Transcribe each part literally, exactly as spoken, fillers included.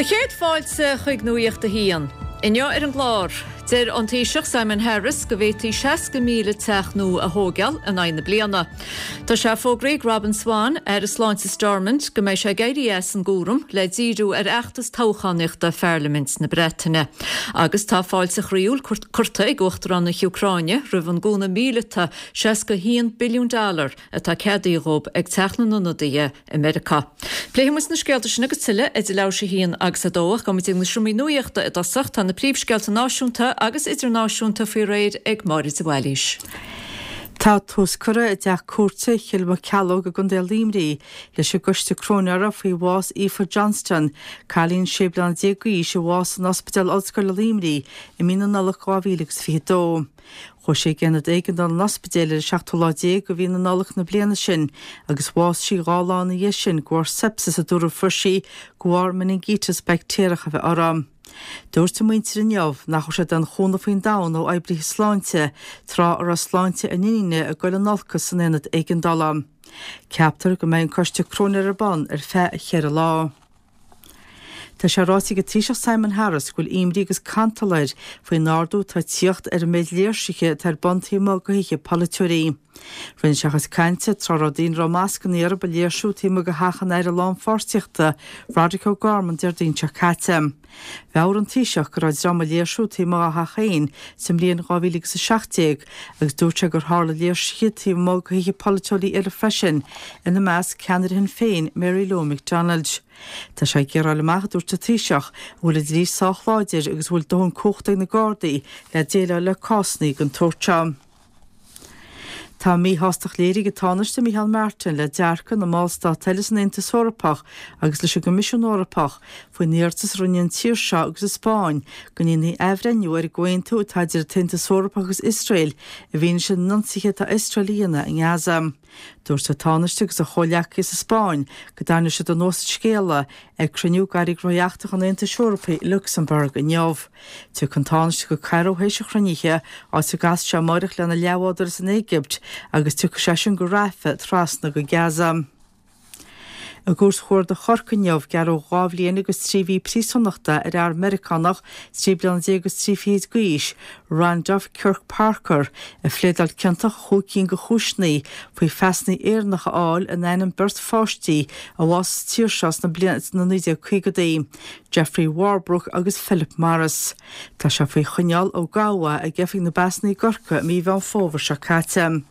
Do chéad fáilte chuig Nuacht a hAon. Inniu ar an gclár, deir an Taoiseach Simon Harris go bhféadfaí seasca míle teach nua a thógáil in aghaidh na bliana. Tá sé fógraithe ag Robin Swann, Aire Sláinte Stormont, go mbeidh sé ag éirí as an gcúram le díriú ar fheachtas toghchánaíochta Pharlaimint na Breataine. Agus tá fáilte chroíúil curtha ag Uachtarán na hÚcráine roimh an gcúnamh míleata seasca haon billiún dollar atá ceadaithe dóibh ag Teach na nIonadaithe i Meiriceá. Pléifidh muid na scéalta sin agus tuilleadh idir leathuair tar éis a haon agus a dó ach gabhfaidh muid na seomraí nuachta i dtosach tá na príomhscéalta náisiúnta agus idirnáisiúnta faoi réir ag Máire de Bhailís. Tá tús curtha i dteach cúirte Chill Moceallóg i gContae Luimnigh leis an gcoiste cróinéara faoi bhás Aoife Johnston, cailín sé bliana déag d'aois a bhásaigh san Ospidéal Ollscoile Luimnigh i mí na Nollag dhá mhíle agus fiche dó. Chuaigh sí ag aonad éigeandála an ospidéil ar an seachtú lá déag de mhí na Nollag na bliana sin agus bhásaigh sí dhá lá ina dhiaidh sin de bharr sepsis a dúradh fuair sí de bharr meiningíteas baictéarach a bheith uirthi. Dúirt a muintir inniu nach raibh siad aon chúnamh faoin domhan ó oibrithe sláinte tráth a raibh sláinte a n-iníne ag dul in olcas san aonad éigeandála. Ceaptar go mbeidh an coiste cróinéara ar bun ar feadh cheithre lá. Tá sé ráite ag an Taoiseach Simon Harris go bhfuil imní agus cantal air faoin ardú atá ag tíocht ar an méid léirsithe atá ar bun taobh amuigh de thithe polaiteoirí. Rinne sé a chuid cainte tráth a raibh daoine a raibh mascanna orthu ag léirsiú taobh amuigh de theach an Aire Lánpháirtíochta Roderic O'Gorman Déardaoin seo caite. Mheabhraigh an Taoiseach go raibh dream ag léirsiú taobh amuigh dá theach féin sa mbliain dhá mhíle agus a seacht déag agus dúirt sé gur tharla léirsithe taobh amuigh de thithe polaiteoirí eile freisin, ina measc ceannaire Shinn Féin Mary Lou McDonald. Tá sé ag iarraidh a fháil amach, a dúirt an Taoiseach, an bhfuil an dlí sách láidir agus an bhfuil dóthain cumhachta ag na Gardaí le déileáil le cásanna den tsórt seo. Tá míshástacht léirithe ag an Tánaiste Micheál Martin le dearcadh na mballstát eile san Aontas Eorpach agus leis an gCoimisiún Eorpach faoin iarratas a rinne an tír seo agus an Spáinn go ndéanfaí athbhreithniú ar an gcomhaontú atá idir an tAontas Eorpach agus Iosrael i bhfianaise na n-ionsaithe atá Iosrael a dhéanamh i nGaza. Dúirt an Tánaiste agus a chomhghleacaithe sa Spáinn go dtarraingeoidh siad anuas an scéala ag cruinniú d'airí gnóthaí eachtracha an Aontais Eorpaigh i Lucsamburg inniu. Tiocfaidh an Tánaiste go Cairo théis an chruinnithe, áit a gcasfaidh sé amáireach lena leathbhádóir as an Éigipt agus tiocfaidh seisean go Rafah trasna go Gaza. I gCúirt Chuarda Chorcaí inniu, gearradh dhá bhliain agus trí mhí príosúnachta ar fhear Meiriceánach trí bliana déag agus trí fichid d'aois, Randolph Kirk Parker, a phléadáil ciontach i chúig cinn de chúiseanna faoi phasanna Éireannacha a fháil in ainm beirt pháistí a bhásaigh sa tír seo sna blianta naoi déag caogaidí, Jeffrey Warbrook agus Philip Morris. Tá sé faoi choinneáil ó gabhadh é ag Oifig na bPasanna i gCorcaigh i mí Mheán Fómhair seo caite.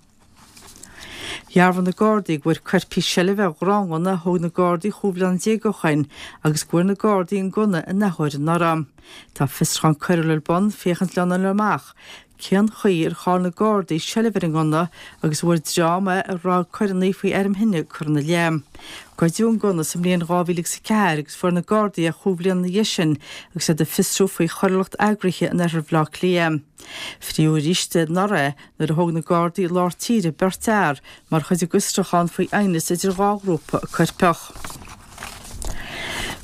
Dhearbhaigh na Gardaí go bhfuair coirpigh seilbh ar ghráinghunna a thóg na Gardaí chúig bhliana déag ó shoin agus go bhfuair na Gardaí an gunna in athuair anuraidh. Tá fiosrúchán coiriúil ar bun féachaint lena fháil amach cén chaoi ar chaill na Gardaí seilbh ar an ngunna agus an bhfuair dream é a raibh coireanna faoi airm thine curtha ina leith. Goideadh an gunna sa mbliain dhá mhíle agus a ceathair agus fuair na Gardaí é chúig bhliana ina dhiaidh sin agus iad ag fiosrú faoi choiriúlacht eagraithe in oirthear Bhaile Átha Cliath. Fríodh arís anuraidh é nuair a thóg na Gardaí i lár tíre beirt fhear mar chuid de fhiosrúchán faoi aighneas idir dhá ghrúpa coirpeach.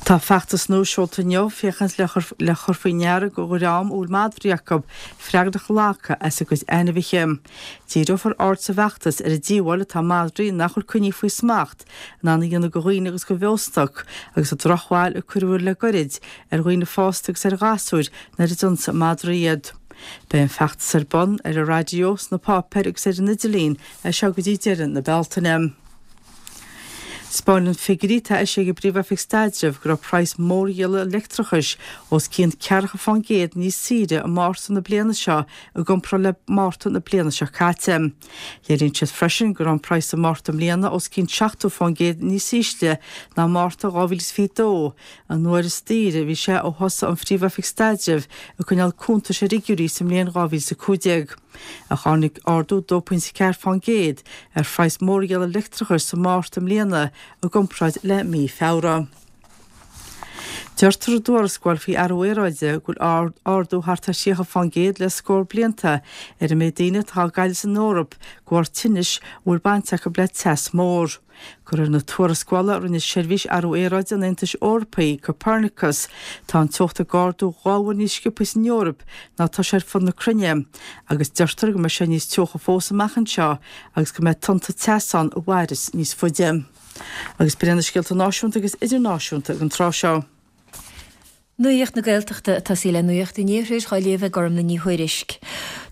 Tá feachtas nua seolta inniu féachaint le le chur faoi ndeara do dhream a bhfuil madraí acu freagracht a ghlacadh as a gcuid ainmhithe. Díreofar aird sa bhfeachtas ar an díobháil atá madraí nach bhfuil coinnithe faoi smacht in ann a dhéanamh do dhaoine agus do bheostoc agus an drochbhail a cuireadh le goirid ar dhaoine fásta agus ar ghasúir nuair a d'ionsaigh madraí iad. Beidh an feachtas ar bun ar an raidió, sna páipéir agus ar an idirlíon as seo go dtí deireadh na Bealtaine. 'Spáineann figiúirí atá eisithe ag an bPríomh-Oifig Staidrimh go raibh praghas mórdhíola leictreachais os cionn ceathracha fán gcéad níos saoire i Márta na bliana seo i gcomparáid le Márta na bliana seo caite. Léiríonn siad freisin go raibh an praghas i Márta i mbliana os cionn seachtó fán gcéad níos ísle ná Márta dhá mhíle is fiche dó, an uair is daoire a bhí sé ó thosaigh an Phríomh-Oifig Staidrimh ag coinneáil cuntais ar fhigiúirí sa mbliain dhá mhíle is a cúig déag. Ach tháinig ardú dó pointe ceathair fán gcéad ar phraghas mórdhíola leictreachais sa Márta i mbliana i gcomparáid le mí Feabhra. Deirtear i dtuarascáil faoi athrú aeráide go bhfuil ardú thart ar thríocha fán gcéad le scór blianta ar an méid daoine atá á gcailleadh san Eoraip de bharr tinnis a bhfuil baint acu le teas mór. De réir na tuarascála a rinne Seirbhís Athrú Aeráide an Aontais Eorpaigh, Copernicus, tá an teocht ag ardú dhá uair níos sciobtha san Eoraip ná atá sé ar fud na cruinne agus deirtear go mbeidh sé níos teocha fós amach anseo agus go mbeidh tonnta teasa ann a mhairfeas níos faide. Agus b'in iad na scéalta náisiúnta agus idirnáisiúnta ag an tráth seo. Nuacht na Gaeltachta atá sí le Nuacht an Iarthair á léamh ag Gormlaith Ní Thuairisg.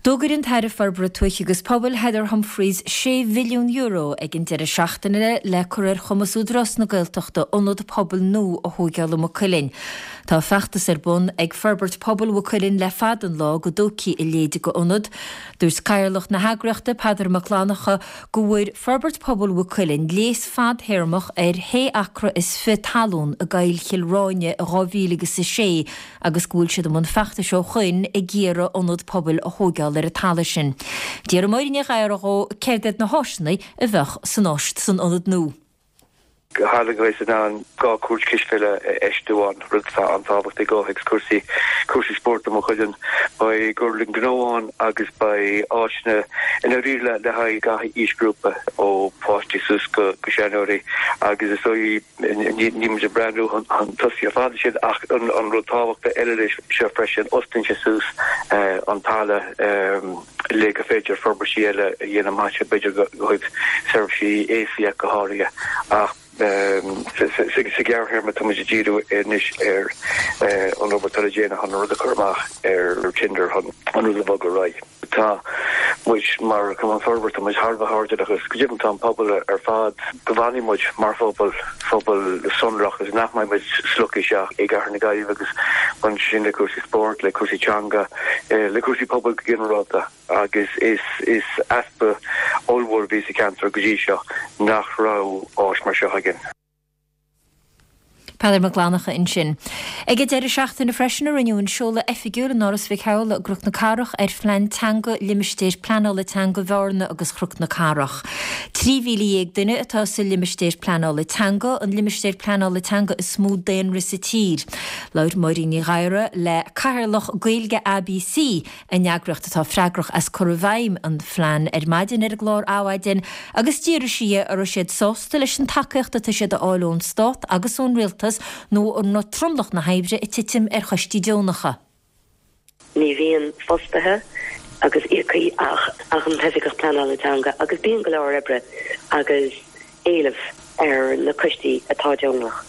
D'fhógair an tAire Forbartha Tuaithe agus Pobail Heather Humphreys sé mhilliún euro ag an deireadh seachtaine le cur ar chumas Údarás na Gaeltachta ionad pobail nua a thógáil i Maigh Cuilinn. Tá feachtas ar bun ag Forbairt Pobail Mhaigh Cuilinn le fada an lá go dtógfaí a leithéid d'ionad. Dúirt Cathaoirleach na heagraíochta Peadar Mac Fhlannchadha go bhfuair Forbairt Pobail Mhaigh Cuilinn léas fadthéarmach ar shé acra is fiche talún i gCoill Chill Ráine i dhá mhíle agus a sé agus go bhfuil siad i mbun feachtais ó shoin ag iarraidh ionad pobail a thógáil ar an talamh sin. D'iarr Máire Ní Ghadhra dhó céard iad na háiseanna a bheadh san áis san ionad nua. Go háirithe go mbeidh siad in ann dhá chúirt cispheile a fheistiú ann, rud atá an-tábhachtach i gcomhthéacs cúrsaí cúrsaí spóirt i Maigh Cuilinn. Beidh gorlann gnó ann agus beidh áiseanna i ndáiríre le haghaidh gach aoisghrúpa, ó pháistí suas go seanóirí agus is dóigh níl muid ag breathnú chun tosaigh ar fad sin ach an rud tábhachtach eile leis seo freisin, osclaíonn sé suas an talamh le gur féidir forbairtí eile a dhéanamh amach anseo, b'fhéidir ó thaobh seirbhísí aosaigh ach go háirithe. Ach sa ghearrthéarma tá muid ag díriú anois ar an obair atá le déanamh chun an rud a chur amach ar tender chun an rud a bhogadh ar aghaidh. Tá muid mar Chumann Forbartha, tá muid thar a bheith airdeallach agus go deimhin tá an pobal ar fad go bhfanfaidh muid mar phobal, phobal sonrach agus nach mbeidh muid slogtha isteach i gcathair na Gaillimhe agus baineann sé sin le cúrsaí spóirt, le cúrsaí teanga, le cúrsaí pobail go ginearálta agus is is easpa ollmhór a bhí sa cheantar go dtí seo nach raibh áis mar seo againn. Peadar Mac Fhlannchadha ansin. Ag an deireadh seachtaine freisin a rinneadh an seoladh oifigiúil in Áras Mhic Shamhla i gCnoc na Cathrach ar Phlean Teanga Limistéir Pleanála Teanga Bhearna agus Chnoc na Cathrach. Trí mhíle dhéag duine atá sa limistéar pleanála teanga, an limistéar pleanála teanga is mó daonra sa tír. Labhair Máirín Ní Ghadhra le Cathaoirleach Gaeilge ABC, an eagraíocht atá freagrach as cur i bhfeidhm an phlean, ar maidin ar an gclár Adhmhaidin agus d'fhiafraigh sí dhe an raibh siad sásta leis an tacaíocht atá siad a fháil ón Stát agus ón Rialtas nó an raibh tromlach na hoibre ag titim ar choistí deonacha. Ní bhíonn fostaithe agus íocaí ach ach an tOifigeach Pleanála Teanga agus bíonn go leor oibre agus éileamh ar na coistí atá deonach.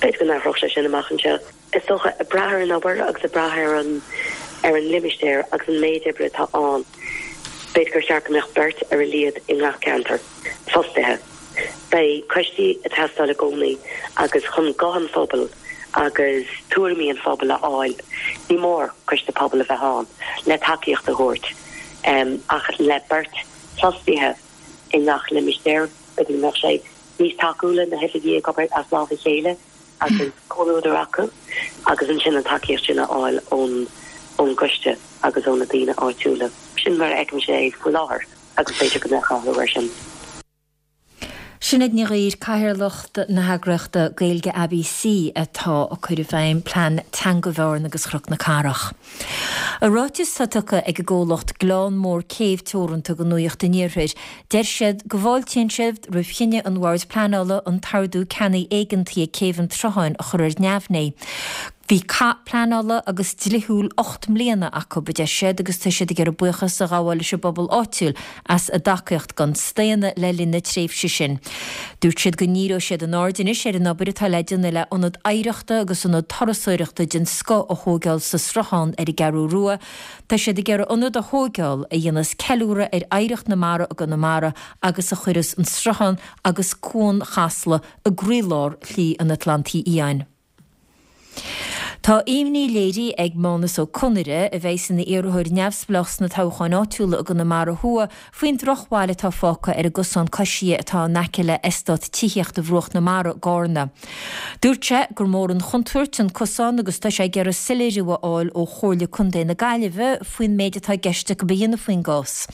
B'fhéidir go n-athródh sé sin amach anseo. Is dócha, ag brath ar an obair agus ag brath ar an ar an limistéar agus an méid oibre atá ann, b'fhéidir gur cheart go mbeadh beirt ar a laghad i ngach ceantar, fostaithe. Beidh coistí ag teastáil i gcónaí agus chun guth an phobail agus tuairimí an phobail a fháil, ní mór coiste pobail a bheith ann le tacaíocht a thabhairt. Ach le beirt fostaithe i ngach limistéar, b'fhéidir go mbeadh sé níos tacúla na hoifigigh ag obair as lámh a chéile agus comhluadar acu agus ansin an tacaíocht sin a fháil ón ón gcoiste agus ó na daoine áitiúla. Sin mar a fheicimse é faoi láthair agus b'fhéidir go mbeadh athrú air sin. Sinéad Ní Ghaoir, Cathaoirleach na heagraíochta Gaeilge ABC atá ag cur i bhfeidhm Plean Teanga Bhearna agus Chnoc na Cathrach. I ráiteas atá tugtha ag an gcomhlacht Gleann Mór Céibh Teoranta do Nuacht an Iarthair, deir siad go bhfáiltíonn siad roimh chinneadh an Bhoird Pleanála an t-ardú ceannaigh éigeantaí ag Céibh an tSrutháin a chur ar neamhní. Bhí cath pleanála agus dlíthiúil ocht mbliana acu, a deir siad, agus tá siad ag iarraidh buíochas a ghabháil leis an bpobal áitiúil as a dtacaíocht gan staonadh le linn na tréimhse sin. Dúirt siad go ndíreoidh siad a n-aird anois ar an obair atá le déanamh le ionad oidhreachta agus ionad turasóireachta den scoth a thóigeáil sa Sruthán ar an gCeathrú Rua. Tá siad ag iarraidh ionad a thóigeáil a dhéanfas ceiliúradh ar oidhreacht na mara i gConamara agus a chuirfeas an Sruthán agus Cuan Chasla i gcroílár Shlí an Atlantaigh Fhiáin. Tá imní léirithe ag Mánus Ó Conaire, a bheas ina iarrthóir neamhspleách sna toghcháin áitiúla i gConamara Thuaidh, faoin drochbhail atá fágtha ar an gcosán coisithe atá in aice le eastát tithíochta Bhruach na Mara i gCarna. Dúirt sé gur mór an chontúirt an cosán agus tá sé ag iarraidh soiléiriú a fháil ó Chomhairle Contae na Gaillimhe faoin méid atá i gceist acu a dhéanamh faoin gcás.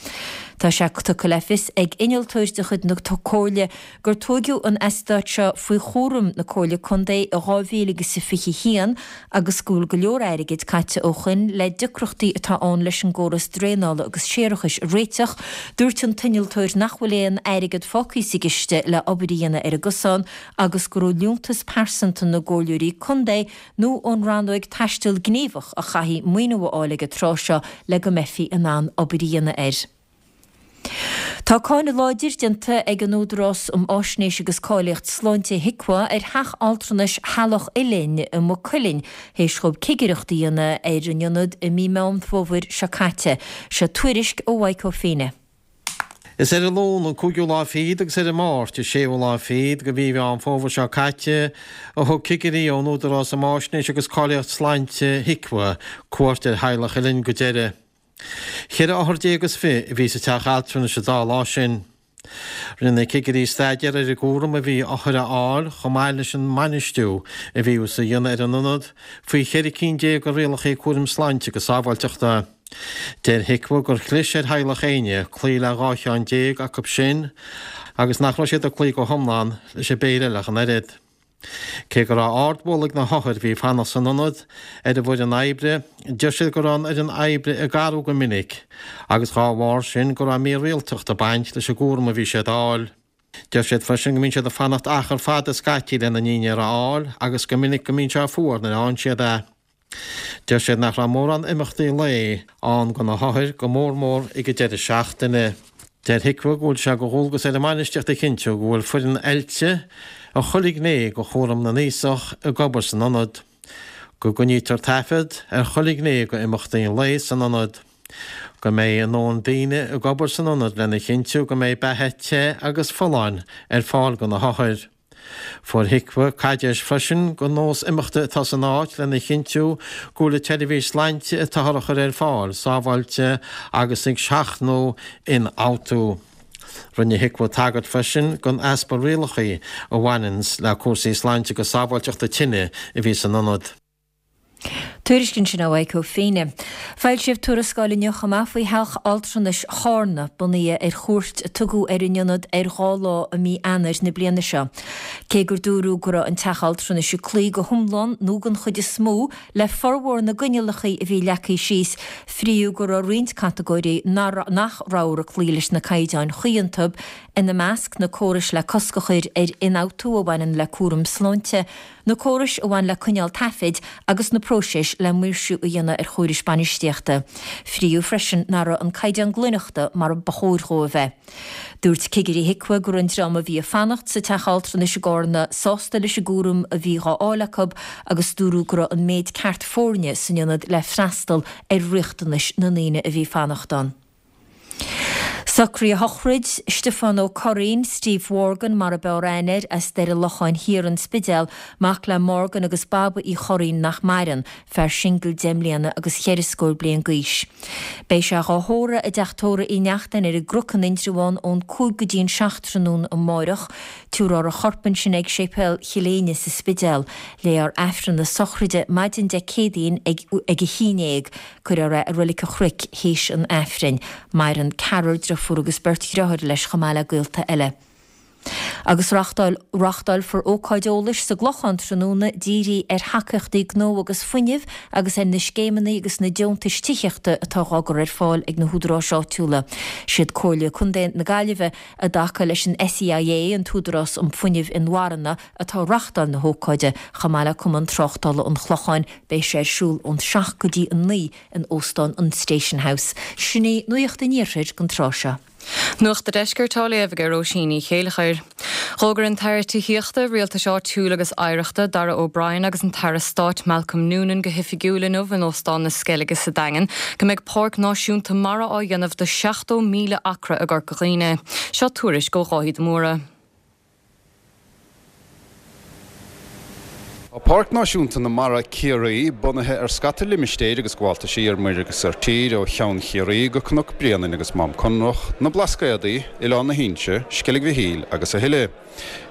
Tá sé tugtha le fios ag innealtóir de chuid na Comhairle gur tóigeadh an eastát seo faoi chúram na Comhairle Contae i dhá mhíle agus a fiche haon agus go bhfuil go leor airgid caite ó shoin le deacrachtaí atá ann leis an gcóras draenála agus séarachais a réiteach. Dúirt an t-innealtóir nach bhfuil aon airgead fágtha sa gciste le obair a dhéanamh ar an gcosán agus gur ó liúntas pearsanta na gcomhairleoirí contae nó ón rannóig Taisteal Gníomhach a chaithfí maoiniú a fháil ag an tráth seo le go mbeifí in ann obair a dhéanamh air. Tá cáineadh láidir déanta ag an Údarás um Fháisnéis agus Cáilíocht Sláinte, HIQA, ar theach altranais Theaghlach Uilinn i Maigh Cuilinn théis dhóibh cigireacht a dhéanamh ar an ionad i mí Meán Fómhair seo caite. Seo tuairisc ó Mhaidhc Ó Feinne. Is ar an Luan an cúigiú lá fichead agus ar an Máirt an séú lá fichead de mhí Mheán Fómhair seo caite a thug cigirí ón Údarás um Fháisnéis agus Cáilíocht Sláinte, HIQA, cuairt ar Theaghlach Uilinn go deireadh. Ceithre othar déag is fiche a bhí sa teach altranais an dá lá sin. Rinne na cigirí staidéar ar an gcúram a bhí othair a fháil chomh maith leis an mbainistiú a bhíothas a dhéanamh ar an ionad faoi cheithre cinn déag de rialacha cúraim sláinte agus sábháilteachta. Deir HIQA gur chlis ar Theaghlach Éinne cloí le dhá cheann déag acu sin agus nach raibh siad ag cloí go hiomlán leis an bpéire eile ach an oiread. Cé go raibh ardmholadh ag na hothair a bhí ag fanacht san ionad ar an bhfoireann oibre, deir siad go raibh an fhoireann oibre ag athrú go minic agus dhá bharr sin go raibh mírialtacht ag baint leis an gcúram a bhí siad a fháil. Deir siad freisin go mbíonn siad ag fanacht achar fada scaití lena ndinnéar a fháil agus go minic go mbíonn sé fuar nuair a fhaigheann siad é. Deir siad nach raibh mórán imeachtaí lae ann do na hothair, go mór mór ag an deireadh seachtaine. Deir HIQA go bhfuil sé de dhualgas ar an mbainistíocht a chinntiú go bhfuil foireann oilte i chuile ghné de chúram na n-aosach ag obair san ionad, go gcoinnítear taifead ar chuile ghné d'imeachtaí lae san ionad, go mbeidh a ndóthain daoine ag obair san ionad lena chinntiú go mbeidh beatha te agus folláin ar fáil do na hothair. Fuair HIQA caidéis freisin den nós imeachta atá san áit lena chinntiú go bhfuil an tseirbhís sláinte atáthar a chur ar fáil sábháilte agus ag seachnú ionfhabhtú. Rinne HIQA tagairt freisin don easpa rialacha a bhaineanns le cúrsaí sláinte agus sábháilteachta tine a bhí san ionad. Tuairisc ansin ó Mhaidhc Ó Feinne. Foilsíodh tuarascáil inniu chomh maith faoi theach altranais Charna, bunaithe ar chuairt a tugadh ar an ionad ar dhá lá i mí Eanáir na bliana seo. Cé gur dúradh go raibh an teach altranais ag cloí go hiomlán nó den chuid is mó le formhór na gcoinníollacha a bhí leagtha síos, fríodh go raibh roinnt catagóirí nach rabhthar ag cloí leis na caighdeáin chuí iontu, ina measc, na córais le cosc a chur ar ionfhabhtú a bhaineann le cúram sláinte, na córais a bhain le coinneáil taifid agus na próisis le maoirsiú a dhéanamh ar chórais bainistíochta. Fríodh freisin nach raibh an caighdeán glaineachta mar ba chóir dhó a bheith. Dúirt cigirí HIQA go raibh an dream a bhí ag fanacht sa teach altranais i gCarna sásta leis an gcúram a bhí dhá fháil acu agus dúradh go raibh an méid ceart foirne san ionad le freastal ar riachtanais na ndaoine a bhí ag fanacht ann. Socraíodh a shochraid, Stiofán Ó Curraoin, Steve Mhorgan mar ab fhearr aithne air, as Doire Locháin Thiar, An Spidéal, mac le Morgan agus Baba Uí Churraoin nach maireann, fear singil deich mbliana agus cheithre scór bliain d'aois. Beidh sé dhá thórramh i dteach tórraimh Uí Neachtain ar an gCnoc in Indreabhán ón cúig go dtí an seacht tráthnóna amáireach. Tabharfar a chorp ansin ag Séipéal Chill Éinne sa Spidéal. Léifear Aifreann na sochraide maidin Dé Céadaoin ag ag a haon déag. Cuirfear é i Reilig an Chnoic théis an Aifrinn. Maireann ceathrar driofúr agus beirt dhriotháir leis chomh maith le gaolta eile. Agus reachtáil reachtáilfear ócáid eolais sa gClochán tráthnóna dírithe ar thacaíochtaí gnó agus fuinnimh agus ar na scéimeanna agus na deontais tithíochta atá dhá gcur ar fáil ag na húdaráis áitiúla. Siad Comhairle Contae na Gaillimhe i dtaca leis an SEIA, an tÚdarás um Fuinneamh Inmharthana, atá ag reachtáil na hócáide, chomh maith le Cumann Tráchtála an Chlocháin. Beidh sé ar siúl ón seacht go dtí a naoi in Óstán an Station House. Sin í Nuacht an Iarthair don tráth seo. Nuacht an Deiscirt á léamh ag Róisín Ní Chéilleachair. D'fhógair an tAire Tithíochta, Rialtais Áitiúil agus Oidhreachta, Darragh O'Brien agus an tAire Stáit Malcolm Noonan go hoifigiúil inniu in Óstán na Sceilge sa Daingean go mbeidh Páirc Náisiúnta Mara á dhéanamh de seachtó míle acra i gCorca Dhuibhne. Seo tuairisc ó Dháithí de Mórdha. Tá Páirc Náisiúnta na Mara Ciarraí bunaithe ar scata limistéir agus gabháltaisí ar muir agus ar tír ó Cheann Chiarraí go Cnoc Bréanainn agus Mám Conrach, na Blascaodaí, Oileán na hInse, Sceilg Mhichíl agus a thuilleadh.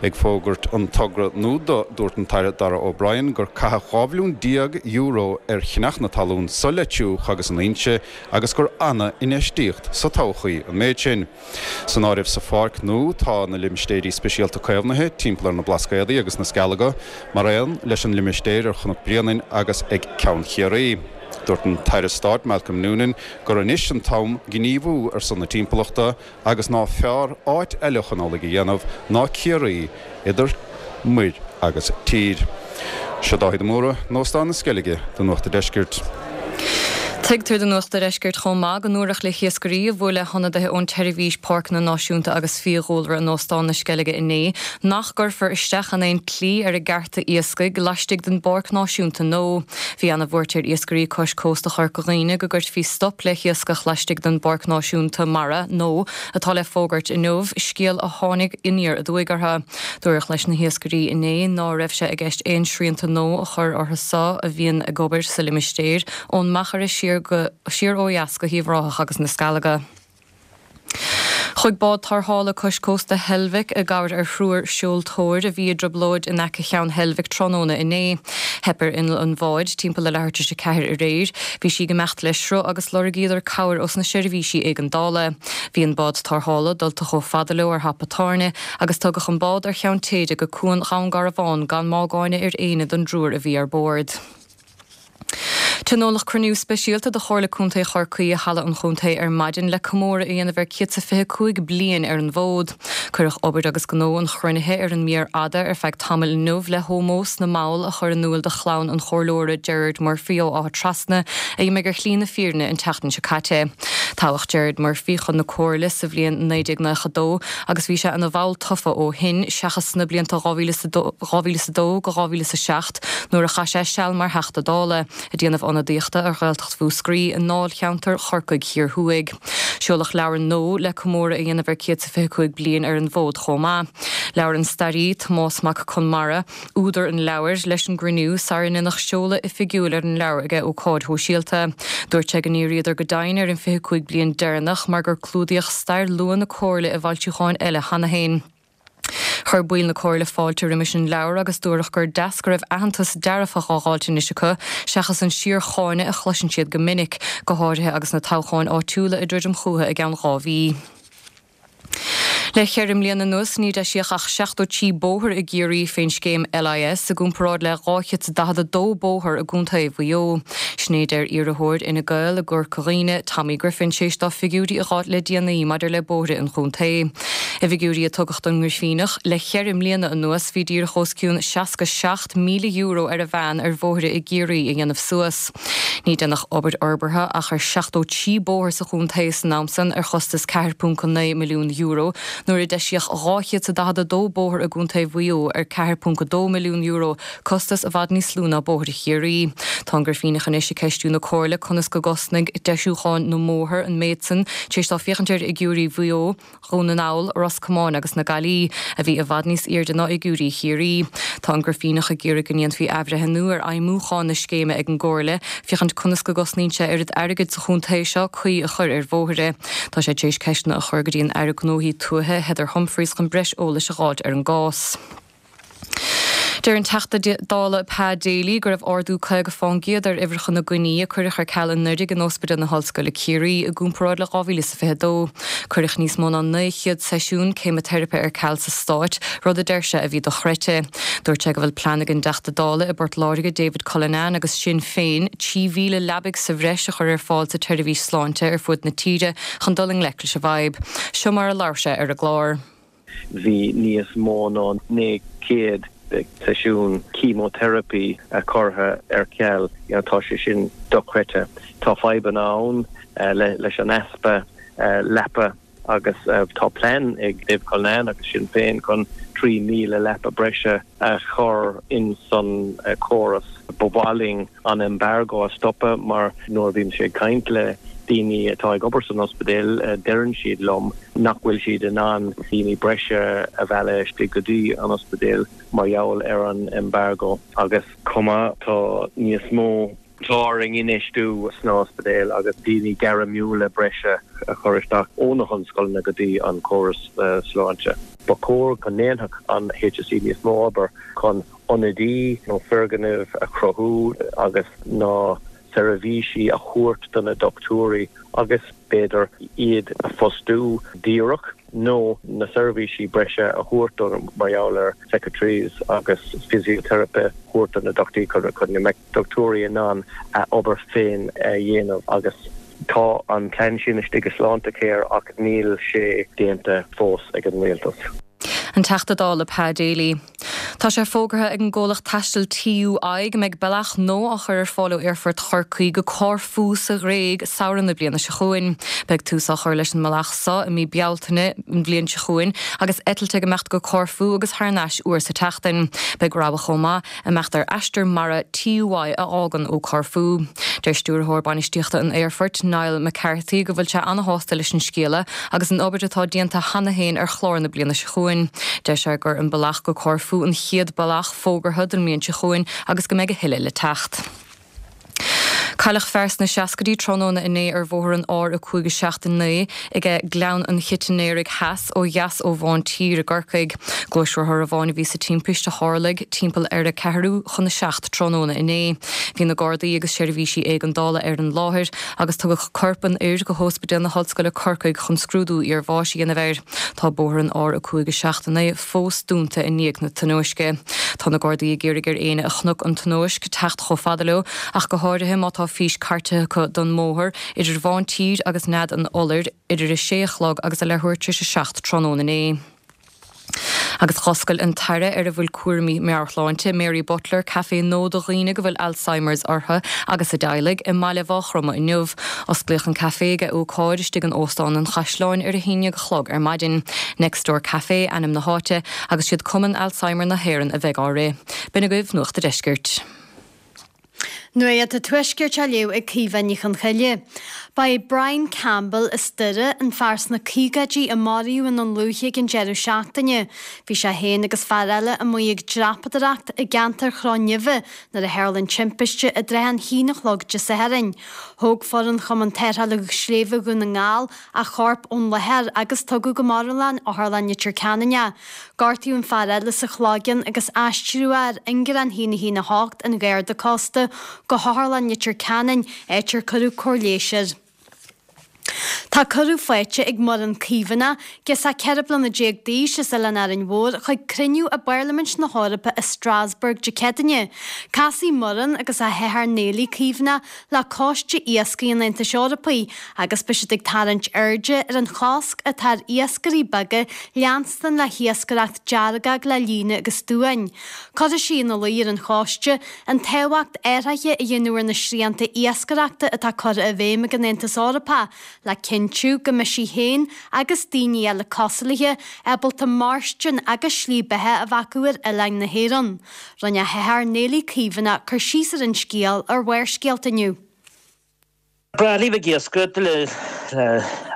Ag fógairt an togra nua dó, dúirt an tAire Darragh O'Brien gur caitheadh dhá bhilliún déag euro ar cheannach na talún sa Leitriúch agus in Inse agus gur ana-infheistíocht sa todhchaí an méid sin. San áireamh sa pháirc nua tá na limistéirí speisialta caomhnaithe timpeall ar na Blascaodaí agus na Scealaga, mar aon leis an limistéir ar Chnoc Bréanainn agus ag Ceann Chiarraí. Dúirt an tAire Stáit Malcolm Noonan gur anois an t-am gníomhú ar son na timpeallachta agus ná fearr áit eile chun amhlaidh a dhéanamh ná Ciarraí, idir muir agus tír. Seo Dáithí de Mórdha in Óstán na Sceilge do Nuacht an Deiscirt. Tuigtear do Nuacht an Deiscirt chomh maith go ndúradh le hiascairí a bhuail le hionadaithe ón tSeirbhís Páirceanna Náisiúnta agus Fiadhúlra in Óstán na Sceilge inné nach gcuirfear isteach in aon tslí ar a gcearta iascaigh laistigh den bPáirc Náisiúnta nó. Bhí an-bhuairt ar iascairí cois cósta Chorca Dhuibhne go gcuirfí stop le hiascach laistigh den bPáirc Náisiúnta Mara nó atá le fógairt inniu, scéal a tháinig aniar aduaidh orthu. Dúradh leis na hiascairí inné ná raibh sé i gceist aon srianta nó a chur orthu so a bhíonn ag obair sa limistéar ón Machaire siar go siar ó dheas go hUíbh Ráthach agus na Sceilge. Chuaigh bád tarrthála cois cósta Heilbhic i gcabhair ar thriúr seoltóir a bhí i dtrioblóid in aice Cheann Heilbhic tráthnóna inné. Theip ar inneall an bháid timpeall le leathuair tar éis a ceathair aréir. Bhí sí ag imeacht le sruth agus lorgaíodar cabhair ós na seirbhísí éigeandála. Bhí an bád tarrthála dulta chomh fada leo ar hapa tairne agus tugadh an bád ar cheann téide go cuan Dhún Garbhán gan mágáine ar éinne den dtriúr a bhí ar bord. Tionóladh cruinniú speisialta de Chomhairle Contae Chorcaí i Halla an Chontae ar maidin le comóradh a dhéanamh ar céad is fiche cúig bliain ar an bhfód. Cuireadh obair agus gnó an chruinnithe ar an mír fhada ar feadh tamaill inniu le hómós na mball a chur in iúl do chlann an chomhairleora Gerard Murphy ó Áth Trasna a d'imigh ar shlí na fírinne an tseachtain seo caite. Toghadh Gerard Murphy chun na Comhairle sa bhliain naoi déag nócha dó agus bhí sé ina bhall tofa ó shin seachas sna blianta dhá mhíle is a dó go dhá mhíle is a seacht nuair a chaith sé seal mar Theachta Dála. Ag déanamh ionadaíochta ar Ghaeltacht Mhúscraí i ndáilcheantar Chorcaigh Thiar Thuaidh. Seoladh leabhar nua le comóradh a dhéanamh ar céad is fiche cúig bliain ar an bhfód chomh maith. Labhair an staraí Tomás Mac Conmara, údar an leabhair, leis an gcruinniú sara ndéanadh seoladh oifigiúil ar an leabhar ag ócáid shóisialta. Dúirt sé go ndíríodar go deimhin ar an fiche cúig bliain deireanach mar gur clúdaíodh stair luath na Comhairle i bhfoilseacháin eile cheana féin. Chuir baill na Comhairle fáilte roimis an leabhar agus dúradh gur deas go raibh aitheantas dearfach á dháilt anois acu, seachas an síorcháineadh a chloiseann siad go minic, go háirithe agus na toghcháin áitiúla ag druidim chucu i gceann dhá mhí. Le ceithre mbliana anuas ní deisíodh ach seachtó trí bóthar i gCiarraí fén scéim LIS i gcomparáid le dhá chéad is daichead a dó bóthar i gContae Mhaigh Eo. Sin é a deir iarrthóir Fhine Gael i gCorca Dhuibhne, Tommy Griffin, tar éis dó figiúirí a dh'fháilt le déanaí maidir le bóithre an chontae. I bhfigiúirí a tugadh don nGrifíneach, le ceithre mbliana anuas bhí díreach os cionn seasca seacht míle euro ar a mheán ar bhóithre i gCiarraí a dhéanamh suas. Ní deineadh obair fhorbartha ach ar seachtó trí bóthar sa chontae san am san ar chostas ceathair ponc naoi milliún euro nuair a deisíodh dhá chéad is daichead a dó bóthar i gContae Mhaigh Eo ar ceathair ponc a dó milliún euro, costas i bhfad níos lú ná bóithre Chiarraí. Tá an Grifíneach anois ag ceistiú na Comhairle conas go gcosnaigh deisiúcháin na mbóthar an méid san tar éis dó féachaint ar fhigiúirí Mhaigh Eo, Dhún na nGall, Ros Comáin agus na Gaillimhe, a bhí i bhfad níos airde ná fhigiúirí Chiarraí. Tá an Grifíneach ag iarraidh go ndéanfaí athbhreithniú ar fheidhmiúchán na scéime ag an gComhairle, féachaint conas go gcosnaíonn sé oiread airgid sa chontae seo caoi a chur ar bhóithre. Tá sé tar éis ceisteanna a chur go dtí an Aire Gnóthaí Tuaithe, Heather Humphreys chun breis eolais a dh'fháilt ar an gcás. Deir an Teachta Dála Pa Daly go raibh ardú caoga fán gcéad ar uimhreacha na gcoinní a cuireadh ar ceal anuraidh in Ospidéal na hOllscoile Ciarraí i gcomparáid le dhá mhíle is fiche dó. Cuireadh níos mó ná naoi chéad seisiún ceimiteiripe ar ceal sa Stát, rud a deir sé a bhí dochreidte. Dúirt sé go bhfuil plean ag an dTeachta Dála i bPort Láirge David Cullinane agus Sinn Féin trí mhíle leabaidh sa bhreis a chur ar fáil sa tseirbhís sláinte ar fud na tíre chun dul i ngleic leis an bhfadhb. Seo mar a labhair sé ar an gclár. Bhí níos mó ná naoi gcéad seisiún chemotherapi curtha ar ceal. Tá sé sin dochreidte. Tá fadhbanna ann leis an easpa leapa agus tá plean ag Dave Cullinane agus Sinn Féin chun trí mhíle leapa breise a chur in san córas. Ba mhaith linn an embargo a stopadh mar nuair a bhímse ag caint le daoine atá ag obair san ospidéal deireann siad liom nach bhfuil siad in ann daoine breise a mhealladh istigh go dtí an ospidéal mar gheall ar an embargo agus chomh maith tá níos mó Tá orainn infheistiú sna hospidéil agus daoine gairmiúla breise a chur isteach ó na hollscoileanna go dtí an córas sláinte. Ba chóir go ndéanfadh an H S E níos mó obair chun ionadaí nó foirgnimh a chruthú agus na seirbhísí a thabhairt do na dochtúirí agus b'fhéidir iad a fostú díreach nó na seirbhísí breise a thabhairt do mar gheall ar secretaries agus physiotherapy a thabhairt do na dochtúirí chun go mbeadh dochtúirí in ann a obair féin a dhéanamh agus tá an plean sin istigh i Sláintecare ach níl sé déanta fós ag an rialtas. An Teachta Dála Pa Daly. Tá sé fógartha ag an gcomhlacht taistil TUI go mbeidh bealach nua á chur ar fáil ó Aerfort Chorcaí go Corfú sa Ghréig samhradh na bliana seo chugainn. Beidh tús á chur leis an mbealach seo i mí Bealtaine an bhliain seo chugainn agus eitilt ag imeacht go Corfú agus thar n-ais uair sa tseachtain. Beidh rogha chomh maith imeacht ar aistear mara TUI a fhágann ó Corfú. Deir stiúrthóir bainistíochta an aerfoirt Niall McCarthy go bhfuil sé an-shásta leis an scéala agus an obair atá déanta cheana féin ar chlár na bliana seo chugainn. Deir sé gur an bealach go Corfú an chéad bealach fógartha don mbliain seo chugainn agus go mbeidh a thuilleadh le teacht. Cailleadh fear sna seascaidí tráthnóna inné ar bhóthar an R a cúig a seacht a naoi ag Gleann an Chitinéirigh Theas ó dheas ó Mhán Tír i gCorcaigh. Gluaisrothar amháin a bhí sa timpiste a tharlaigh timpeall ar a ceathrú chun a seacht tráthnóna inné. Bhí na Gardaí agus seirbhísí éigeandála ar an láthair agus tugadh corp an fhir go hOspidéal na hOllscoile Corcaigh chun scrúdú iarbháis a dhéanamh air. Tá bóthar an R a cúig a seacht a naoi fós dúnta i ndiaidh na tionóisce. Tá na Gardaí ag iarraidh ar éinne a chonaic an tionóisc teacht chomh fada leo ach go háirithe má tá fís cairte acu don mbóthar idir Mhán Tír agus Nead an Iolair idir a sé a chlog agus a leathuair tar éis a seacht tráthnóna inné. Agus d'oscail an tAire ar a bhfuil cúraimí meabhairshláinte Mary Butler caifé nua do dhaoine go bhfuil Alzheimer's orthu agus a dteaghlaigh i mbaile Mhaigh Chromtha inniu. Osclaíodh an caifé ag ócáid istigh in Óstán an Chaisleáin ar a haon déag a chlog ar maidin. Next Door Café ainm na háite agus siad Cumann Alzheimer na hÉireann a bheidh á rith. B'in agaibh Nuacht an Deiscirt. Nuacht an Tuaiscirt á léamh ag Caoimhe Ní Chonchoille. Ba é Brian Campbell as Doire an fear sna caogaidí a maraíodh i nDún Lúiche ag an deireadh seachtaine. Bhí sé féin agus fear eile amuigh ag dreapadóireacht i gceantar Chró Neimhe nuair a tharla an timpiste i dtrátha an haon a chlog Dé Sathairn. Thóg foireann Chumann Tarrthála Sléibhe Dhún na nGall a chorp ón láthair agus tugadh go Marbhlann Otharlann Leitir Ceanainn é. Gortaíodh an fear eile sa chloigeann agus aistríodh é ar ingearán a haon a haon a hocht an Gharda Cósta go hOtharlann Leitir Ceanainn, áit ar cuireadh cóir leighis air. Tá cuireadh faighte ag Muireann Caomhánach, girseach ceithre bliana déag d'aois as Oileán Árainn Mhór, chuig cruinniú i bParlaimint na hEorpa i Strasbourg Dé Céadaoine. Casfaidh Muireann agus a hathair Néilí Caomhánach le Coiste Iascaigh an Aontais Eorpaigh agus beidh siad ag tarraingt airde ar an chosc atá ar iascairí beaga leanstan le hiascaireacht deargóg le líne agus duáin. Cuirfidh sí ina luí ar an choiste an tábhacht athruithe a dhéanamh ar na srianta iascaireachta atá curtha i bhfeidhm ag an Aontas Eorpach le cinntiú go mbeidh sí féin agus daoine eile cosúil léi ábalta mairstin agus slí beatha a bheith acu ar oileáin na hÉireann. Rinne a hathair Néilí Caomhánach cur síos ar an scéal ar Bharrscéalta inniu. Breá libh ag iascaireacht le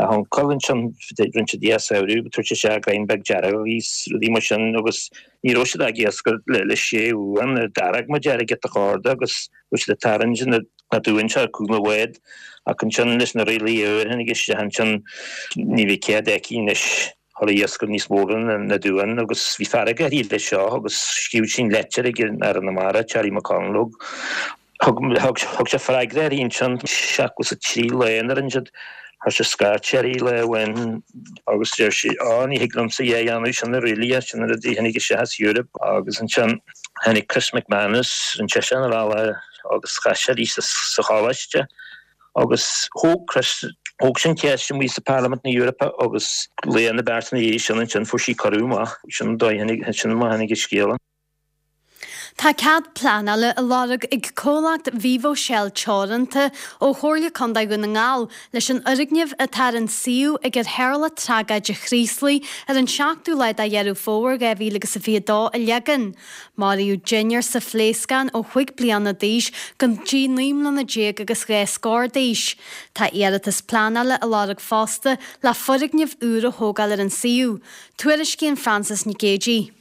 a huncail ansin rinne siad iascaireacht tabhairt isteach greim beag dearg agus rudaí mar sin agus ní raibh siad ag iascaireacht le le sé uain dearg mar dearg giota corda agus raibh siad ag tarraingt na na duáin seo cúpla bhád ach ansin leis na rialacha úr tháinig isteach ansin ní bhí cead aici anois dhul ag iascaireacht níos mó na na duáin agus bhí fearg uirthi leis seo agus scríobh sí an leitir ag an Aire na Mara Charlie McConalogue Thug thug sé freagra uirthi ansin seachtó is a trí lá a rinne siad chuir sé scairt uirthi lá amháin agus deir sí á ní thig liomsa é a dhéanamh sin na rialacha sin na rudaí a tháinig isteach as Europe agus ansin tháinig Chris McManus rinne seisean a bhealach agus chas sé arís sa choláiste agus thóg Chris thóg sé an cheist amuigh sa Parlaimint na Eorpa agus lá nó beirt ina dhiaidh sin ansin fuair sí cuireadh amach sin an dóigh a tháinig sin mar a tháinig an scéala. Tá cead pleanála á lorg ag comhlacht Vivo Shell Teoranta ó Chomhairle Contae Dhún na nGall leis an fhoirgneamh atá ar an suíomh ag ar tharla tragóid an Chraoslaigh ar an seachtú lá de Dheireadh Fómhair dhá mhíle agus a fiche a dó a leagan. Maraíodh deichniúr sa phléascán ó chúig bliana d'aois go dtí naoi mbliana déag agus dhá scór d'aois. Tá iarratas pleanála á lorg fosta le foirgneamh úr a thógáil ar an suíomh. Tuairiscíonn Frances Nic Géadaigh.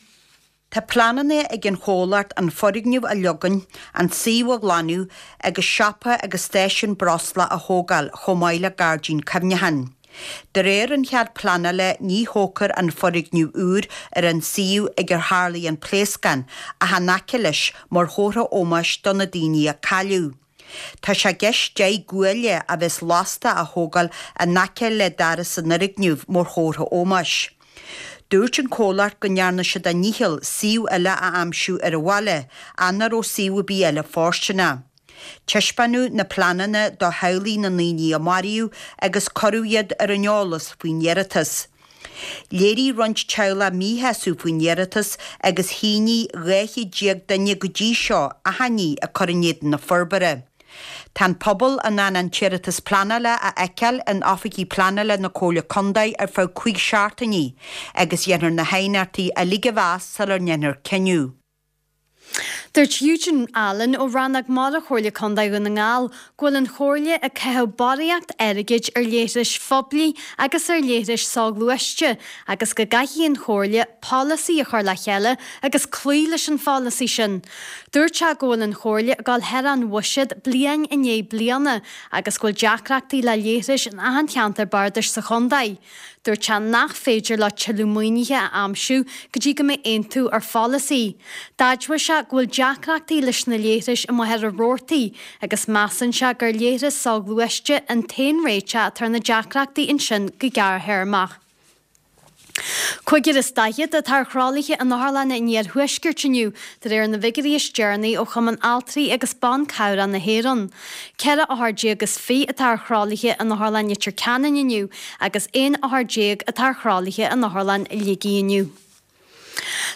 Tá pleananna ag an chomhlacht an foirgneamh a leagan, an suíomh a ghlanadh agus siopa agus stáisiún breosla a thógáil chomh maith le gairdín cuimhneacháin. De réir an chead pleanála ní thógfar an foirgneamh úr ar an suíomh ag ar tharlaigh an pléascán ach in aice leis mar chomhartha ómóis do na daoine a cailleadh. Tá sé i gceist deich gcuaille a bheas lasta a thógáil in aice le doras an fhoirgnimh mar chomhartha ómóis. Dúirt an comhlacht go ndearna siad a ndícheall suíomh eile a aimsiú ar an bhaile ach nach raibh suíomh ar bith eile fóirsteanach. Taispeánadh na pleananna do theaghlaigh na ndaoine a maraíodh agus cuireadh iad ar an eolas faoin iarratas. Léirigh roinnt teaghlach míshásamh faoin iarratas agus shínigh dhá chéad déag duine go dtí seo achainí ag cur in éadan na forbartha. Tá an pobal in ann an t-iarratas pleanála a fheiceáil in oifigí pleanála na Comhairle Contae ar feadh cúig seachtainí agus dhéanfar na haighneachtaí uilig a mheas sular ndéanfar cinneadh. Dúirt Eugene Allen ó Rannóg Mara Chomhairle Contae Dhún na nGall go bhfuil an Chomhairle ag caitheamh barraíocht airgid ar leithris phoiblí agus ar leithris soghluaiste agus go gcaithfidh an Chomhairle polasaí a chur le chéile agus cloí leis an pholasaí sin. Dúirt sé go bhfuil an Chomhairle ag dul thar an bhuiséad bliain i ndiaidh bliana agus go bhfuil deacrachtaí le leithris in achan cheantar bardais sa chontae. Dúirt sé nach féidir leo tuilleadh maoinithe a aimsiú go dtí go mbeidh aontú ar pholasaí. D'admhaigh sé go bhfuil deacrachtaí leis na leithris i Machaire Rabhartaigh agus measann sé gur leithreas soghluaiste an t-aon réiteach atá ar na deacrachtaí ansin go gearrthéarmach. Cúigear is daichead atá ar thralaithe in otharlanna an iarthuaiscirt inniu, de réir na bhfigiúirí is deireanaí ó Chumann Altraí agus Ban Cabhrach na hÉireann. Ceithre othar déag is fiche atá ar thralaithe in Otharlann Leitir Ceanainn inniu agus aon othar déag atá ar thralaithe in Otharlann Shligigh inniu.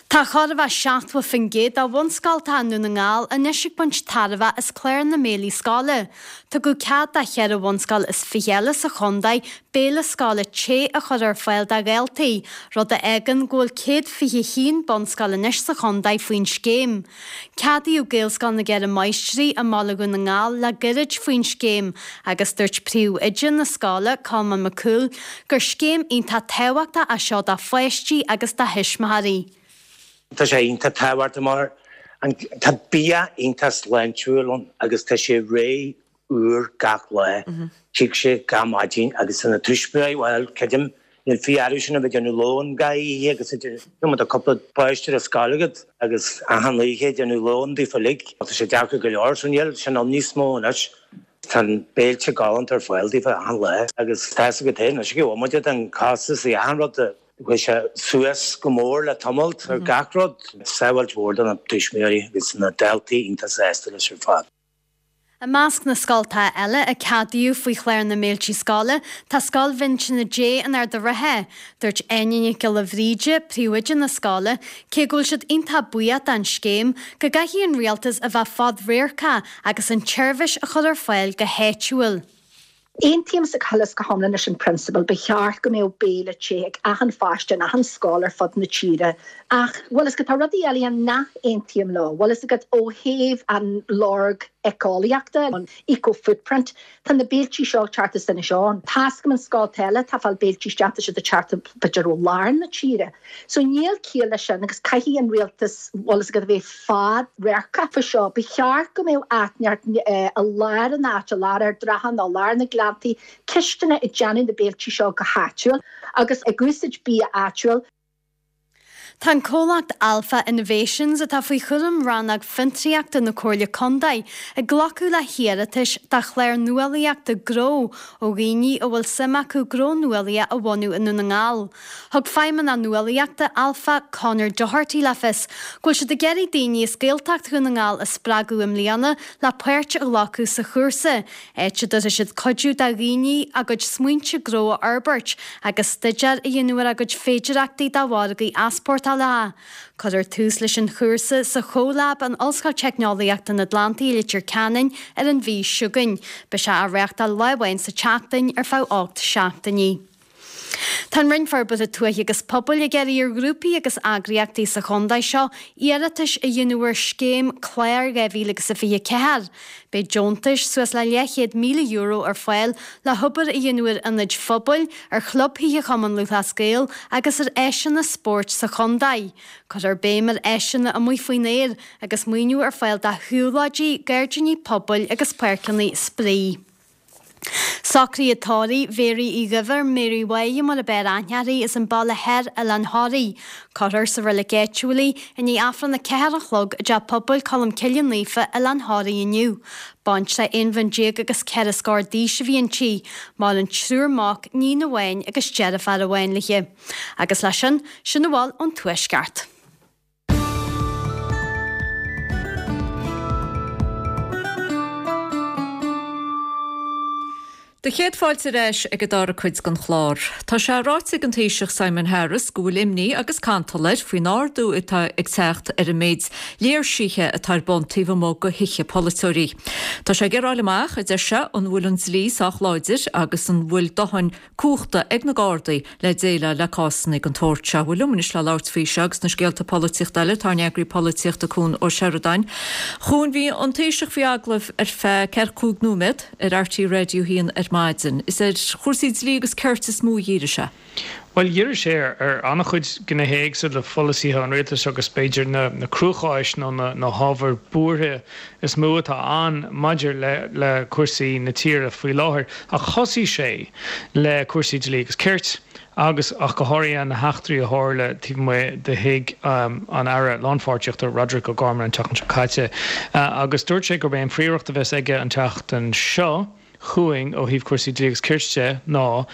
Tá chóir a bheith seachtó faoin gcéad de bhunscoltacha i nDún na nGall anois ag baint tairbhe as clár na mbéilí scoile. Tugadh cead do cheithre bhunscoil is fiche eile sa chontae béile scoile te a chur ar fáil do dhaltaí, rud a fhágann go bhfuil céad fiche haon bunscoil anois sa chontae faoin scéim. Ceadaíodh Gaelscoil na gCeithre Máistrí i mBaile Dhún na nGall le gairid faoin scéim agus dúirt príomhoide na scoile, Colmán Mac Cumhaill, gur scéim iontach tábhachtach é seo do pháistí agus do thuismitheoirí. Tá sé iontach tábhachtach mar tá bia iontach sláintiúil ann agus tá sé réidh úr gach lá. Tig sé gach maidin agus tá na tuismitheoirí, bhuel, creidim, níl fiú orthu sin a bheith ag déanamh lón gach oíche agus you know tá cúpla páiste ar scoil agat agus achan oíche ag déanamh lón daofa uilig. Tá sé deacair go leor so níl sin ann níos mó anois. Tá an béilte galánta ar fáil daofa achan lá agus tá 'fhios agat féin anois go bhfuil muid an costas i achan rud a Chuaigh sé suas go mór le tamalt ar gach rud. Sábháilt mhór do na tuismitheoirí agus na daltaí iontach sásta leis ar fad. I measc na scoltacha eile a ceadaíodh faoi chlár na mbéiltí scoile tá Scoil Mhinsine Dé in Ard an Rátha. Dúirt Áine Nic Giolla Bhríde, príomhoide na scoile, cé go bhfuil siad iontach buíoch don scéim, go gcaithfidh an rialtas a bheith fadradharcach agus an tseirbhís a chur ar fáil go háitiúil. Aontaímse go huile is go hiomlán leis an prionsabal, ba cheart go mbeadh béile te ag achan pháiste in achan scoil ar fud na tíre. Ach, bhfuil fhios agat, tá rudaí eile nach n-aontaím leo. Bhfuil fhios agat, ó thaobh an lorg éiceolaíochta, an eco-footprint, tá na béiltí seo ag teacht as Inis Eoghain. Tá's agam an scolta eile atá ag fáil béiltí isteach, tá siad ag teacht b'fhéidir ó lár na tíre. So níl ciall leis sin agus caithfidh an rialtas, bhfuil fhios agat, a bheith fad-radharcach faoi seo. Ba cheart go mbeadh áit inteacht i lár an áit, i lár Ard an Rátha nó i lár na Gleanntaí, cistineach ag déanamh na béiltí seo go háitiúil agus ag úsáid bia áitiúil. Tá an comhlacht Alpha Innovations, atá faoi chúram Rannóg Fiontraíochta na Comhairle Contae, ag glacadh le hiarratais do chlár nuálaíochta gnó ó dhaoine a bhfuil suim acu gnó nuálaíoch a bhunú i nDún na nGall. Thug Feidhmeannach Nuálaíochta Alpha, Conor Doherty le fios go bhfuil siad ag iarraidh daoine as Gaeltacht Dhún na nGall a spreagadh i mbliana le páirt a ghlacadh sa chúrsa, áit a dtabharfaidh siad cuidiú do dhaoine a gcuid smaointe gnó a fhorbairt agus staidéar a dhéanamh ar a gcuid féidearthachtaí do mhargaí easpórtála. Cuirfear tús leis an chúrsa sa CoLab in Ollscoil Teicneolaíochta an Atlantaigh i Leitir Ceanainn ar an mhí seo chugainn. Beidh sé á reáchtáil lá amháin sa tseachtain ar feadh ocht seachtainí. Tá an Roinn Forbartha Tuaithe agus Pobail ag iarraidh ar ghrúpaí agus eagraíochtaí sa chontae seo iarratais a dhéanamh ar scéim Clár dhá mhíle agus a fiche ceathair. Beidh deontais suas le leathchéad míle euro ar fáil le hobair a dhéanamh ar ionaid phobail, ar chlubthithe Chumann Lúthchleas Gael agus ar áiseanna spóirt sa chontae. Cuirfear béim ar áiseanna amuigh faoin aer agus maoiniú ar fáil do shiúlóidí, gairdíní pobail agus páirceanna spraoi. Socruithe tórraimh Mhéaraí Uí Dhuibhir, Mary Mháire mar ab fhearr aithne uirthi, as an Baile Thoir, Oileán Thoraí. Cuirfear sa reilig áitiúil í i ndiaidh Aifreann a ceathair a chlog i dTeach Pobail Colmcille Naofa, Oileán Thoraí inniu. Baintreach aon bhliain déag agus ceithre scór d'aois a bhí inti. Maireann triúr mac, níon amháin agus deirfiúr amháin léi. Agus leis sin, sin a bhfuil ón Tuaisceart. Do chéad fáilte ar ais ag an dara cuid den chlár. Tá sé ráite ag an Taoiseach Simon Harris go bhfuil imní agus cantal air faoin ardú atá ag teacht ar an méid léirsithe atá ar bun taobh amuigh de thithe polaiteoirí. Tá sé ag iarraidh a fháil amach, a deir sé, an bhfuil an dlí sách láidir agus an bhfuil dóthain cumhachta ag na Gardaí le déileáil le cásanna den tsórt seo. Bhuel liom anois le labhairt faoi seo agus na scéalta polaitíochta eile tá ár n-eagraí polaitíochta Cuan Ó Seireadáin. A Chuain, bhí an Taoiseach faoi agallamh ar feadh ceathracha cúig nóiméad ar RTÉ Radio a haon ar maidin. Is ar chúrsaí dlí agus cirt is mó a dhírigh sé. Bhuel, dhírigh sé ar an-chuid gnéithe éagsúla de pholasaithe an rialtais agus b'fhéidir na cruacháis nó na hábhair buartha is mó atá ann maidir le cúrsaí na tíre faoi láthair. Ach thosaigh sé le cúrsaí dlí agus cirt agus ach go háirithe na heachtraí a tharla taobh amuigh de thigh an Aire Lánpháirtíochta Roderic O'Gorman an tseachtain seo caite. Agus dúirt sé gurb é an phríomhiarracht a bheas aige an tseachtain seo chugainn ó thaobh cúrsaí dlí agus cirt de ná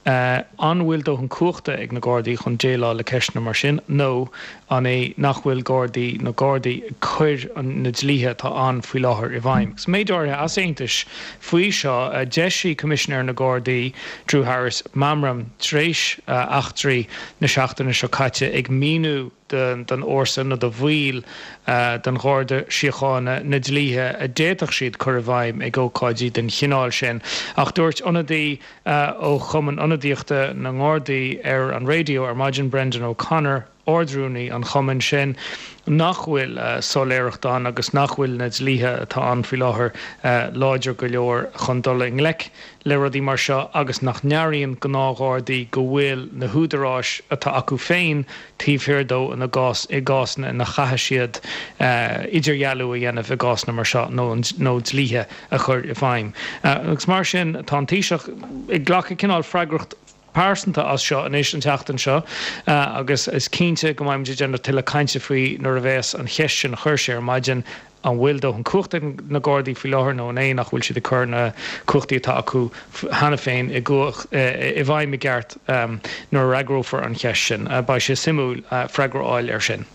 an bhfuil dóthain cumhachta ag na Gardaí chun déileáil le ceisteanna mar sin nó an é nach bhfuil Gardaí na Gardaí ag cur na dlíthe atá ann faoi láthair i bhfeidhm. Agus méid áirithe easaontais faoi seo, d'eisigh Coimisinéir na Gardaí, Drew Harris, meamram tar éis eachtraí na seachtaine seo caite ag míniú don fhórsa nó do bhaill den Gharda Síochána na dlíthe a d'fhéadfadh siad cur i bhfeidhm ag ócáidí den chineál sin. Ach dúirt ionadaí ó Chumann Ionadaíochta na nGardaí ar an raidió ar maidin, Brendan O'Connor, Ard-Rúnaí an chumainn sin, nach bhfuil soiléireacht ann agus nach bhfuil na dlíthe atá ann faoi láthair láidir go leor chun dul i ngleic le rudaí mar seo agus nach n-airíonn gnáthghardaí go bhfuil na húdaráis atá acu féin taobh thiar dó ina gcás i gcásanna ina chaithfidh siad idirdhealú a dhéanamh i gcásanna mar seo nó nó dlíthe a chur i bhfeidhm. Agus mar sin tá an Taoiseach ag glacadh cineál freagracht pearsanta as seo anois an tseachtain seo agus is cinnte go mbeidh muid ag déanamh tuilleadh cainte faoi nuair a bheas an cheist sin a chuir sé ar maidin, an bhfuil dóthain cumhachta ag na Gardaí faoi láthair nó an é nach bhfuil siad ag cur na cumhachtaí atá acu cheana féin i bhfeidhm i gceart nuair a fhreagrófar an cheist sin. Beidh sé suimiúil freagra a fháil air sin.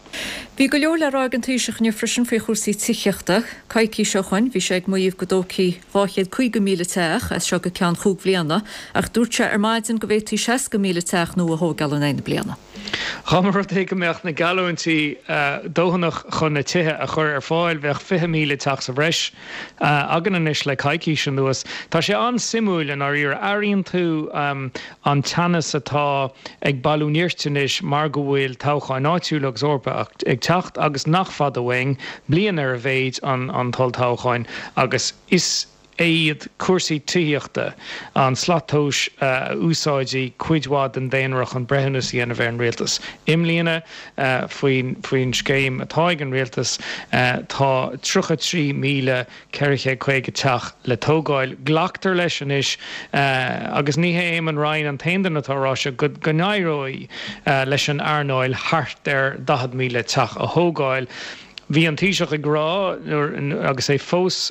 Bhí go leor le rá ag an Taoiseach inniu freisin faoi chúrsaí tithíochta. Coicís ó shoin bhí sé ag maíomh go dtógfaí dhá chéad caoga míle teach as seo go ceann chúig bhliana ach dúirt sé ar maidin go bhféadfaí seasca míle teach nua a thógáil in aghaidh na bliana. Dá mba rud é go mbeadh na geallúintí dóthanach chun na tithe a chur ar fáil bheadh fiche míle teach sa bhreis againn anois le coicís anuas. Tá sé an-suimiúil i ndáiríre. Airíonn tú an teannas atá ag bailiú nirt anois mar go bhfuil toghcháin áitiúla agus Eorpacha ag teacht agus nach fada uainn, bliain ar a mhéid, an t-olltoghchán agus is iad cúrsaí tithíochta an slat tomhais a úsáidfidh cuid mhaith den daonra chun breithiúnas a dhéanamh ar an rialtas. I mbliana, faoin scéim atá ag an rialtas, tá tríocha trí míle ceithre chéad caoga teach le tógáil. Glactar leis anois, agus ní hé Eamon Ryan an t-aon duine atá á rá seo, go n-éireoidh leis an earnáil thart ar daichead míle teach a thógáil. Bhí an Taoiseach ag rá, agus é fós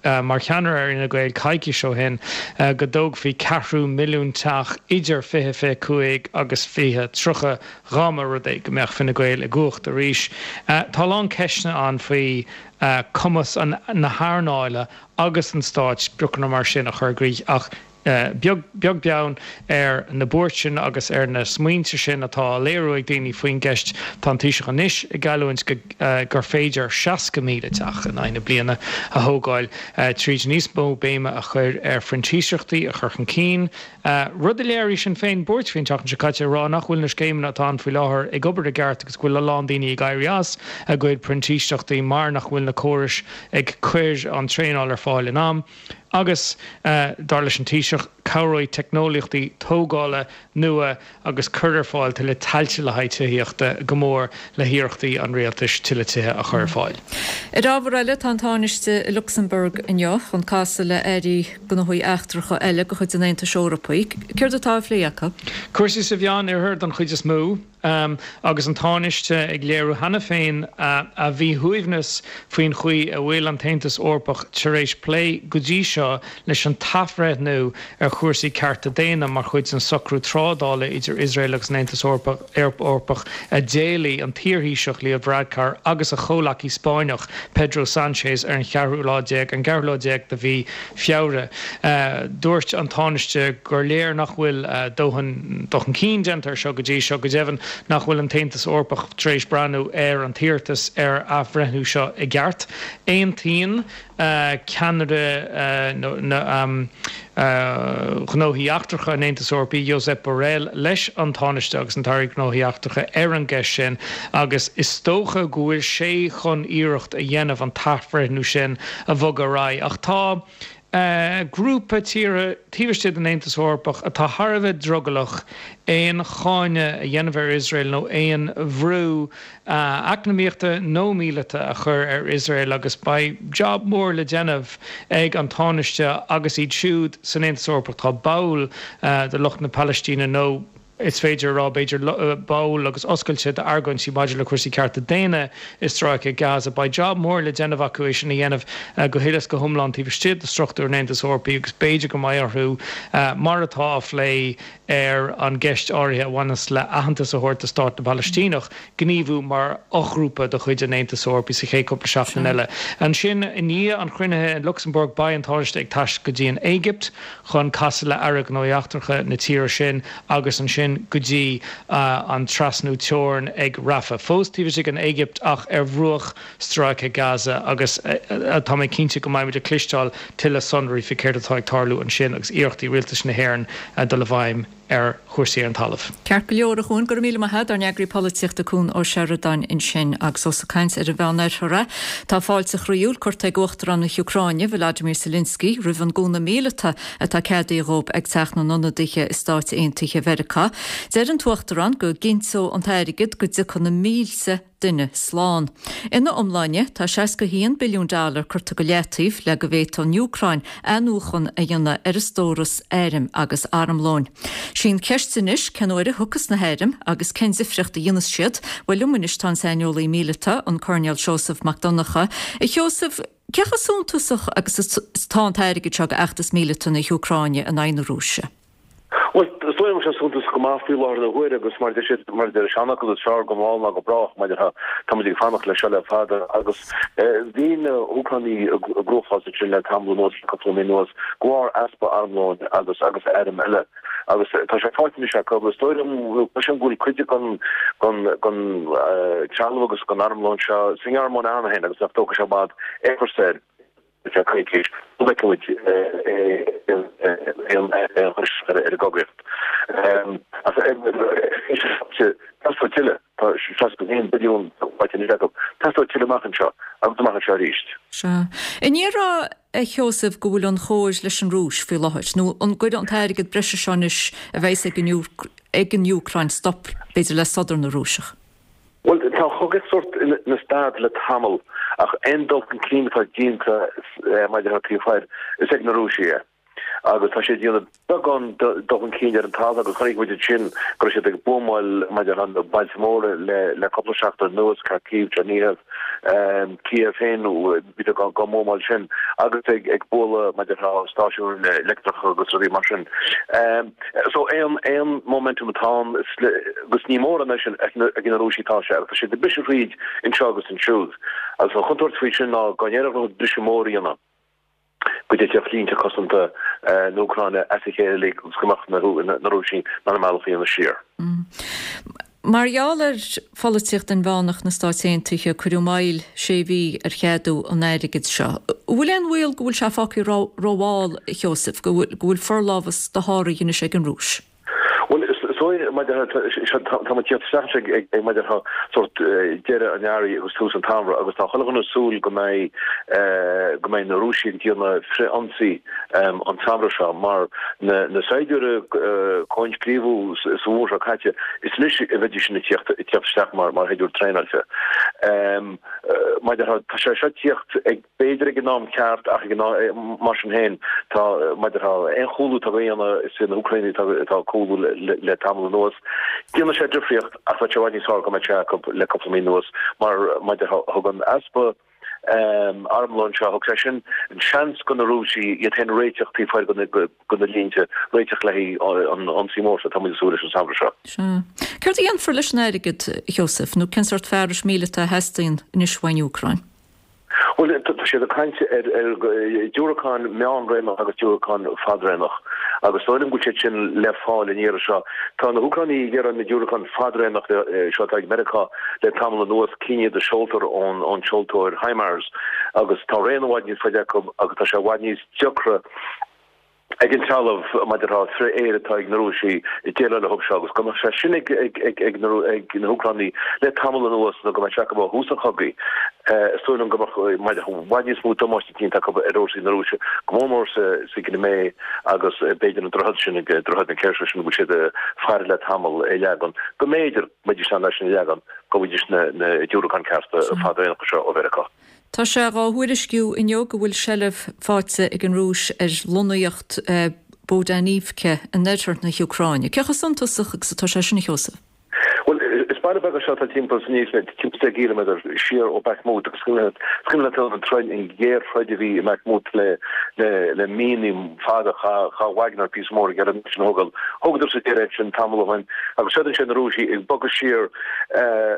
mar cheannaire ar Fhine Gael coicís ó shin, go dtógfaí ceathrú milliún teach idir fiche fiche cúig agus fiche tríocha dhá mba rud é go mbeadh Fine Gael i gcumhacht arís. Tá a lán ceisteanna ann faoi cumas na hearnála agus an stáit spriocanna mar sin a chur i gcrích ach beag beann ar na buairt sin agus ar na smaointe sin atá á léiriú ag daoine faoin gceist, tá an Taoiseach anois ag geallúint gur féidir seasca míle teach in aghaidh na bliana a thógáil tríd níos mó béime a chur ar phrintíseachtaí a chur chun cinn, rud a léirigh Sinn Féin buairt faoi an tseachtain seo caite, ag rá nach bhfuil na scéimeanna atá ann faoi láthair ag obair i gceart agus go bhfuil a lán daoine ag éirí as a gcuid printíseachtaí mar nach bhfuil na córais ag cur an traenáil ar fáil in am. Agus, dar leis an Taoiseach, cabhróidh teicneolaíochtaí tógála nua agus cur ar fáil tuilleadh tailte le haghaidh tithíochta go mór le hiarrachtaí an rialtais tuilleadh tithe a chur ar fáil. Ar ábhar eile, tá an Tánaiste i Lucsamburg inniu chun casadh le hairí gnóthaí eachtracha eile de chuid an Aontais Eorpaigh. Céard atá á phlé acu? Cúrsaí sa Mheánoirthear don chuid is mó. agus an Tánaiste ag léiriú cheana féin a mhíshuaimhneas faoin chaoi a bhfuil an tAontas Eorpach tar éis plé go dtí seo leis an t-athbhreithniú ar chúrsaí cearta daonna mar chuid den socrú trádála idir Iosrael agus an Aontas Eorpach a d'éiligh an t-iarThaoiseach Leo Varadkar agus a chomhleacaí Spáinneach Pedro Sánchez ar an cheathrú lá déag an ceathrú lá déag de mhí Feabhra. Dúirt an Tánaiste gur léir nach bhfuil dóthain dul chun cinn déanta air seo go dtí seo, go deimhin nach bhfuil an tAontas Eorpach tar éis breathnú ar an t-iarratas ar athbhreithniú seo i gceart. Aontaíonn ceannaire na Gnóthaí Eachtracha an Aontais Eorpaigh, Josep Borrell, leis an Tánaiste agus an tAire Gnóthaí Eachtracha ar an gceist sin agus is dócha go bhfuil sé chun iarracht a dhéanamh an t-athbhreithniú sin a bhogadh ar aghaidh. Ach tá grúpa tíortha taobh istigh den Aontas Eorpach atá thar a bheith drogallach aon cháineadh a dhéanamh ar Iosrael nó aon bhrú eacnamaíochta nó míleata a chur ar Iosrael agus beidh jab mór le déanamh ag an Tánaiste agus iad siúd san Aontas Eorpach atá báúil do lucht na Palaistíne nó is féidir a rá, b'fhéidir, báúil agus oscailte d'argóintí maidir le cúrsaí cearta daonna i Stráice Gaza. Beidh jab mór le déanamh acu é sin a dhéanamh go huile is go hiomlán taobh istigh de struchtúr an Aontais Eorpaigh agus b'fhéidir go mbeidh orthu, mar atá á phlé ar an gceist áirithe a bhaineas le aitheantas a thabhairt do Stát na bPalaistíneach, gníomhú mar fhoghrúpa de chuid an Aontais Eorpaigh sa chéad cúpla seachtain eile. Ansin, i ndiaidh an chruinnithe in Lucsamburg, beidh an Tánaiste ag taisteal go dtí an Éigipt chun casadh le Aire Gnóthaí Eachtracha na tíre sin agus ansin go dtí an trasnú teorann ag Rafah. Fós taobh istigh den Éigipt ach ar bhruach Stráice Gaza agus tá mé cinnte go mbeimid ag cloisteáil tuilleadh sonraí faoi céard atá ag tarlú ansin agus iarrachtaí Rialtas na hÉireann dul i bhfeidhm ar chúrsaí ar an talamh. Ceart go leor, a Chuain, go raibh míle maith agat, ár n-eagraí polaitíochta Cuan Ó Seireadáin ansin. Agus ós ag caint ar an Mheánoirthear é, tá fáilte chroíúil curtha ag Uachtarán na hÚcráine, Volodymyr Zelensky, roimh an gcúnamh míleata atá ceadaithe dhóibh ag Teach na nIonadaithe i Stáit Aontaithe Mheiriceá. Deir an tUachtarán go gcinnteoidh an t-airgead go dtiocfaidh na mílte duine slán. Ina iomláine, tá seasca a haon billiún dollar curtha go leataobh le go bhféadfadh an Úcráin athnuachan a dhéanamh ar a stóras airm agus armlóin. Sí an cheist anois cén uair a thiocfas na hairm agus cén difríocht a dhéanfas siad? Bhuel, liom anois tá an saineolaí míleata, an Coirnéal Seosamh Mac Donncha. A Sheosaimh, cé chomh suntasach agus atá an t-airgead seo d'fheachtas míleata na hÚcráine in aghaidh na Rúise? Bhuel, is dóigh liom go bhfuil sé suntasach go maith faoi láthair na huaire agus mar a deir siad, mar a deir an seanfhocal, is fearr go mall ná go brách, maidir le, tá muid ag fanacht leis seo le fada agus bhí na hÚcránaigh i gcruachás ansin le tamall anuas, le cúpla mí anuas, de bharr easpa armlóin agus agus airm eile agus tá sé faighte anois acu. Is dóigh liom, cloisim go bhfuil cuid den den den trealamh agus den armlón seo sa nGearmáin cheana féin agus nach dtógfaidh sé i bhfad é a chur soir. Feadh coicís, go bhfeicfidh muid aon chur isteach ar an gcogaíocht. Ach teastóidh tuilleadh, tá seasca a haon billiún faighte anois acu, teastóidh tuilleadh amach anseo agus amach anseo arís. Sea. An ndéarfá, a Sheosaimh, go bhfuil an chóir leis an Rúis faoi láthair, nó an gcuirfidh an t-airgead breise seo anois a bheas ag an Úcráin stop, b'fhéidir, le sodar na Rúiseach? Bhuel, tá an chogaíocht sórt ina stad le tamall, ach aon dul chun cinn atá déanta maidir le taobh thoir, is ag na Rúisigh é. Agus tá siad ag déanamh beagán dul chun cinn ar an talamh agus chonaic muid ansin go raibh siad ag buamáil maidir le bailte móra le cúpla seachtain anuas, Kharkiv, Chernihiv, Kiev féin, bhí siad á mbuamáil sin agus ag bualadh maidir le stáisiúin leictreacha agus rudaí mar sin. So aon aon momentum atá ann agus ní mórán é sin ag na Rúisigh atá sé agus tá siad ag briseadh thríd anseo agus ansiúd. Agus an chontúirt faoi sin ná go n-éireodh leo briseadh mór a dhéanamh, go dtitfeadh línte cosanta na hÚcráine as a chéile uilig agus go mbeadh na Rúisigh in ann a mbealach a dhéanamh siar. Mar gheall ar pholaitíocht inmheánach na Stáit Aontaithe, cuireadh moill sé mhí ar cheadú an airgid seo. An bhfuil aon bhaol go bhfuil sé fágtha rómhall, a Sheosaimh, go bhfuil forlámhas dosháraithe anois ag an Rúis? Bhuel, is dóigh, maidir le, tá muid ag tíocht isteach anois ag, maidir le sórt deireadh an earraigh agus tús an tsamhraidh agus tá chuile dhuine ag súil go mbeidh, go mbeidh na Rúisigh ag déanamh frith-ionsaí an samhradh seo mar na saighdiúirí a coinscríobhadh sa bhfómhar seo caite, is anois a bheidís ag tíocht isteach mar shaighdiúirí traenáilte. Mar tá sé seo tíocht ag b'fhéidir ag an am ceart ach ag an mar sin féin tá mar aon chúlú atá déanta is na hÚcránaigh atá ag cúlú le tamall anuas. Déanann sé difríocht ach bheadh sé i bhfad níos fearr go mbeadh sé acu le cúpla mí anuas mar mar thug an easpa armlóin seo thug sé sin an seans go na Rúisigh iad féin a réiteach taobh thoir de na línte, réiteach le haghaidh an ionsaí mór seo atá muid ag súil leis an samhradh seo. Sea. Céard a dhéanfar leis an airgead, a Sheosaimh, nó cén sórt fearais míleata a theastaíonn anois uain Úcráin? Bhuel, tá siad ag caint ar diúracáin meánréimneach agus diúracáin fadréimneach agus is dóigh liom go bhfuil siad sin le fáil an iarraidh seo. Tá na hÚcránaigh ag iarraidh na diúracáin fadréimneach seo atá ag Meiriceá le tamall anuas, cinn iad a seoltar ón seoltóir HIMARS agus tá raon i bhfad níos faide acu agus tá sé i bhfad níos deacra ag an trealamh maidir le frith-aeir atá ag na Rúisigh déileáil leo seo agus go mbeadh sé sin ag ag na hÚcránaigh le tamall anuas nó go mbeadh sé acu ó thús an chogaidh. Is dóigh liom go mbeadh i bhfad níos mó damáiste déanta acu ar fhórsaí na Rúise, go mór mór sa gCrimé agus b'fhéidir an droichead sin, droichead na Kerch sin a bhfuil siad ag faire le tamall a leagan, go mb'fhéidir go mbeidís in ann é sin a leagan, go bhfaighidís na diúracáin cearta fadréimneacha seo ó Mheiriceá. Tá sé dhá thuairisciú inniu go bhfuil seilbh faighte ag an Rúis ar lonnaíocht Bohdanivka in oirthear na hÚcráine. Cé chomh suntasach agus atá sé sin, a Sheosaimh? Bhuel, is baile beag é seo atá timpeall is níos mó, timpeall deich gciliméadar siar ó Bakhmut agus is cuimhin leat an troid, an ghéarthroid a bhí i mBakhmut le le le míonna fada, chaith Wagner píosa mór ag iarraidh an áit sin a thógáil. Thógadar sa deireadh é sin tamall ó shin agus seo ansin na Rúisigh ag bogadh siar.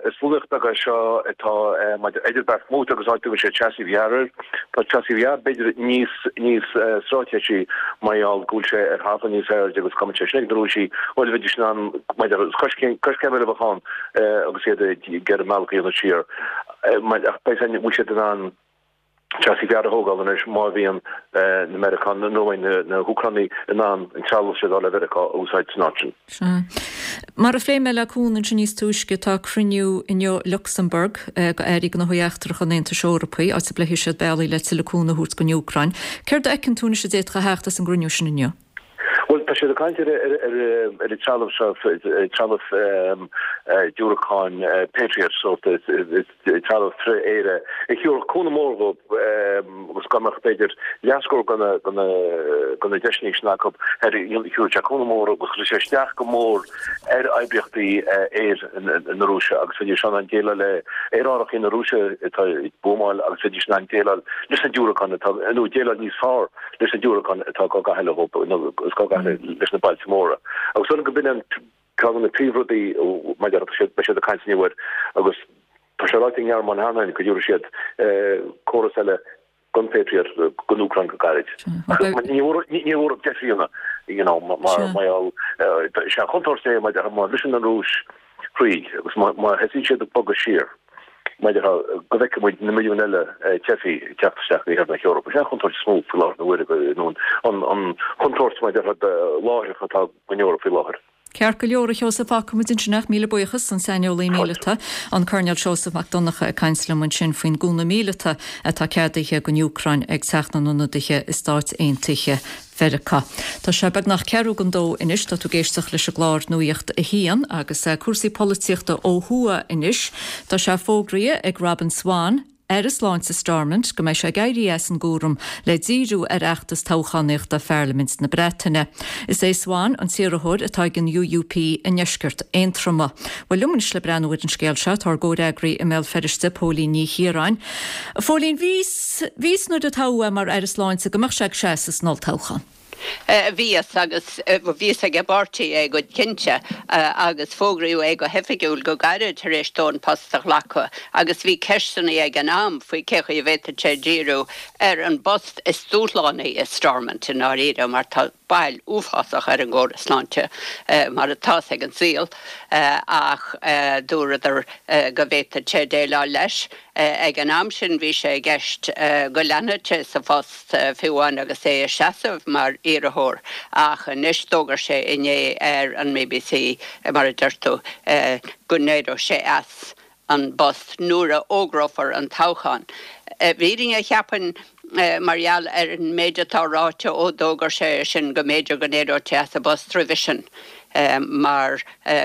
Is lonnaíocht beag é seo atá maidir idir Bakhmut agus áit a dtugann siad Chasiv Yar air. Tá Chasiv Yar b'fhéidir níos níos straitéisí mar gheall go bhfuil sé ar thalamh níos airde agus dá mbeadh sé sin ag na Rúisigh, bhuel bheidís in ann maidir is coiscéim coiscéim eile a bheadh ann agus iad ag iarraidh a mbealach a dhéanamh siar. Ach beidh bhfuil siad in ann Chasiv Yar a thógáil anois má bhíonn na Meiriceánaigh nó na hÚcránaigh in ann an trealamh seo atá le Mheiriceá a úsáid san áit sin. Sea. Mar a phléigh mé le Cuan ansin níos túisce, tá cruinniú inniu i Lucsamburg go Airí Gnóthaí Eachtracha an Aontais Eorpaigh, áit a bpléifidh siad bealaí le tuilleadh cúnamh a thabhairt don Úcráin. Céard a fheiceann tú anois a d'fhéadfadh a theacht as an gcruinniú sin inniu? Bhuel, tá siad ag caint ar an trealamh seo, trealamh diúracáin Patriot, sórt trealamh frith-aeir a thabharfadh cúnamh mór dhóibh agus dá mbeadh b'fhéidir leathscór de na deiseanna sin acu, thabharfadh sé cúnamh mór agus chuirfeadh sé isteach go mór ar oibríochtaí aeir na Rúise agus bheidís in ann déileáil le aerárthaí na Rúise atá ag buamáil agus bheidís in ann déileáil leis na diúracáin atá, nó déileáil níos fearr leis na diúracáin atá á gcaitheamh leo nó is á gcaitheamh leis na bailte móra. Agus dóigh liom go b'in an ceann de na príomhrudaí maidir le beidh siad ag caint inniu air agus tá sé ráite ag an nGearmáin cheana féin go dtabharfaidh siad córas eile den Patriot don Úcráin go gairid. Ní bhfuair deich mbliana you know mar mar gheall is é an chontúirt é má bhriseann an Rúis thríd agus má thosaíonn siad ag bogadh siar maidir le go bhfeicfidh muid na milliúin eile teifigh ag teacht isteach go iarthar na hEorpa. Sin an chontúirt is mó faoi láthair na huaire, nó an chontúirt maidir le láithreach atá don Eoraip faoi láthair. Ceart go leor, a Sheosaimh, fágfaidh muid ansin é. Míle buíochas, an saineolaí míleata, an Coirnéal Seosamh Mac Donncha ag caint liom ansin faoin gcúnamh míleata atá ceadaithe don Úcráin ag Teach na nIonadaithe i Stáit Aontaithe Mheiriceá. Tá sé beagnach ceathrú don dó anois, tá tú ag éisteacht leis an gclár Nuacht a hAon agus cúrsaí polaitíochta ó thuaidh anois. Tá sé fógraithe ag Robin Swann, Aire Sláinte Stormont, go mbeidh sé ag éirí as an gcúram le díriú ar fheachtas toghchánaíochta Pharlaimint na Breataine. Is é Swann an t-iarrthóir atá ag an UUP i ndeisceart Aontroma. Bhuel, liom anois le breathnú ar an scéal seo tá ár gcomhfhreagraí i mBéal Feirste, Póilín Ní Chiaráin. A Phóilín, bhí fhios nuair a toghadh é mar Aire Sláinte go mbeadh sé ag seasamh san olltoghchán. Bhí fhios agus bhí fhios ag an bpáirtí é go cinnte agus fógraíodh é go hoifigiúil go gairid tar éis dó an post a ghlacadh agus bhí ceisteanna ag an am faoi cé chaoi a bhféadfadh sé díriú ar an bpost is dúshlánaí i Stormont i ndáiríre mar tá bail uafásach ar an gcóras sláinte mar atá ag an saol ach dúradar go bhféadfadh sé déileáil leis. Ag an am sin bhí sé i gceist go leanfadh sé sa phost fiú amháin agus é ag seasamh mar iarrthóir ach anois d'fhógair sé inné ar an mBBC, mar a deir tú, go n-éireodh sé as an bpost nuair a fhógrófar an toghchán. I bhfírinne, cheapfainn, mar gheall ar an méid atá ráite ó d'fhógair sé sin, go mb'fhéidir go n-éireodh sé as an bpost roimhe sin. mar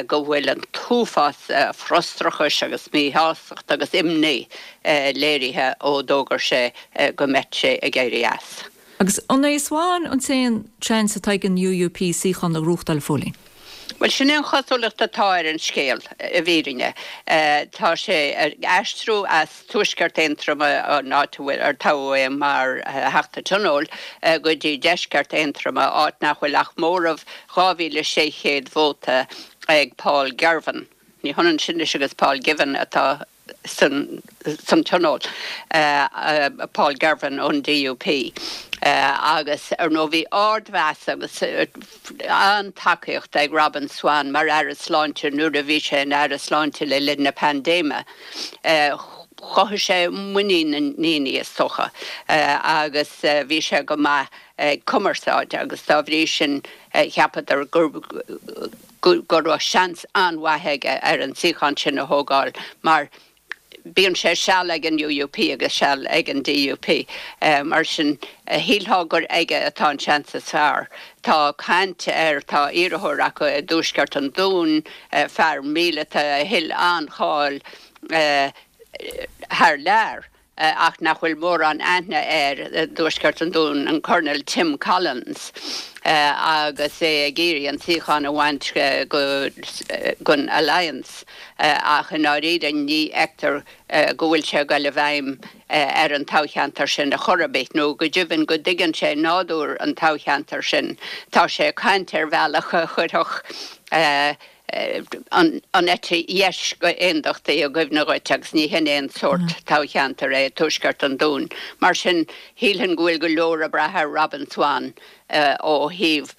go bhfuil an t-uafás frustrachais agus míshástacht agus imní léirithe ó d'fhógair sé go mbeadh sé ag éirí as. Agus an é Swann an t-aon seans atá ag an U U P suíochán a ghnóthachtáil, a Phóilín? Bhuel, sin é an chosúlacht atá ar an scéal, i bhfírinne. Tá sé ag aistriú as Tuaisceart Aontroma, an áit a bhfuil, ar toghadh é mar Theachta Tionóil, go dtí Deisceart Aontroma, áit nach bhfuil ach móramh dhá mhíle sé chéad vóta ag Paul Girvan. Ní hionann sin anois agus Paul Givan atá san Tionól, Paul Girvan ón D U P, agus ar ndóigh bhí ardmheas agus an-tacaíocht ag Robin Swann mar Aire Sláinte nuair a bhí sé ina Aire Sláinte le linn na paindéime. Chothaigh sé muinín na ndaoine is dócha agus bhí sé go maith ag cumarsáid agus dá bhrí sin cheapadar gur go raibh seans an-mhaith aige ar an suíochán sin a thógáil mar bíonn sé seal ag an U U P agus seal ag an D U P. Mar sin shílfeá gur aige atá an seans is fearr. Tá caint ar tá iarrthóir acu i dTuaisceart an Dúin, fear míleata a thuill an-cháil thar lear, ach nach bhfuil mórán aithne air i dTuaisceart an Dúin, an Colonel Tim Collins, agus é ag iarraidh an suíochán a bhaint go gon Alliance, ach i ndáiríre ní fheictear go bhfuil sé ag dul i bhfeidhm ar an toghcheantar sin a chor ar bith, nó go deimhin go dtuigeann sé nádúr an toghcheantair sin. Tá sé ag caint ar bhealach a chuirfeadh an eite dheis go aondachtaí i gcuimhne dhuit agus ní hin aon sórt toghcheantar é Tuaisceart an Dúin. Mar sin shílfinn go bhfuil go leor ag brath ar Robin Swann ó thaobh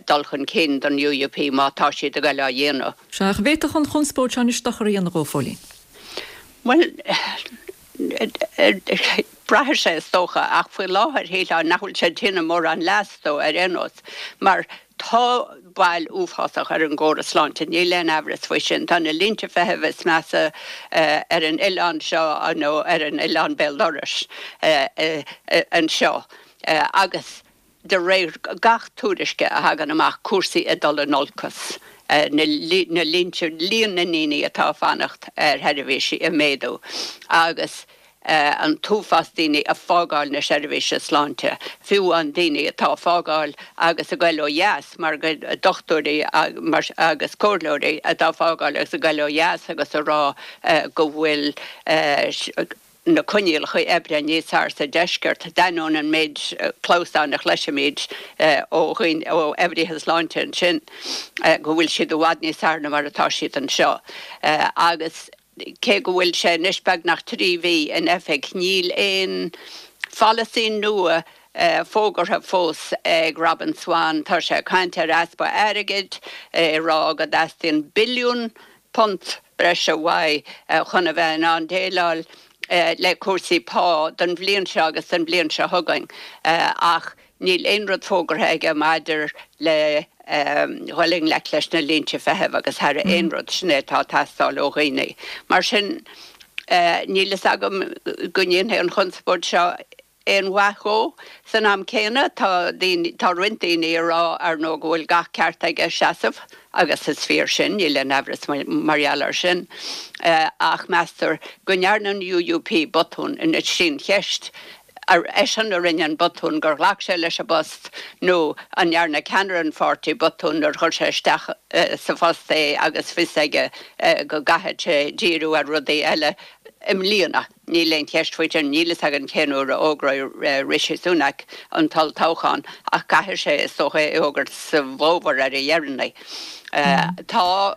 dul chun cinn don U U P má tá siad ag dul á dhéanamh. Sea, ach bhféadfadh an chonspóid seo anois dochar a dhéanamh dhó, a Phóilín? Bhuel, braithfidh sé is dócha, ach faoi láthair shílfeá nach bhfuil sé ag déanamh mórán leas dó ar aon nós, mar tá bail uafásach ar an gcóras sláinte, níl aon amhras faoi sin. Tá na línte feithimh is measa ar an oileán seo nó ar an oileán béal dorais anseo agus de réir gach tuairisce a thagann amach, cúrsaí ag dul in olcas, na línte, líon na ndaoine atá ag fanacht ar sheirbhísí ag méadú agus an t-uafás daoine ag fágáil na seirbhíse sláinte, fiú an daoine atá ag fágáil agus ag goil ó dheas mar go dochtúirí agus comhairleoirí atá ag fágáil agus ag goil ó dheas agus a rá go bhfuil na coinníollacha oibre níos fearr sa deisceart, d'ainneoin an méid clamhsán a chloisimid ó dhaoine, ó oibrithe sláinte ansin, go bhfuil siad i bhfad níos fearr ná mar atá siad anseo. Agus cé go bhfuil sé anois beagnach trí mhí in oifig, níl aon pholasaí nua fógartha fós ag Robin Swann. Tá sé ag caint ar easpa airgid, ag rá go dteastaíonn billiún punt breise uaidh chun a bheith in ann déileáil le cúrsaí pá don bhliain seo agus don bhliain seo chugainn, ach níl aon rud fógartha aige maidir le dhul i ngleic leis na línte feithimh agus thar aon rud, sin é atá ag teastáil ó dhaoine. Mar sin, níl fhios agam go ndéanfaidh an chonspóid seo aon mhaith dhó. San am céanna, tá daoine, tá roinnt daoine ag rá, ar ndóigh, go bhfuil gach ceart aige seasamh, agus is fíor sin, níl aon amhras mar gheall air sin, ach meastar go ndearna an U U P botún anois sin cheist, ar eisean a rinne an botún gur ghlac sé leis an bpost nó an ndearna ceannaire an pháirtí botún nuair chuir sé isteach sa phost é agus fios aige go gcaithfeadh sé díriú ar rudaí eile i mbliana? Níl aon cheist faoi sin, níl fhios againn cén uair a fhógróidh Rishi Sunak an t-olltoghchán ach caithfidh sé is dócha é a fhógairt sa bhfómhar ar a dheireanaí. Tá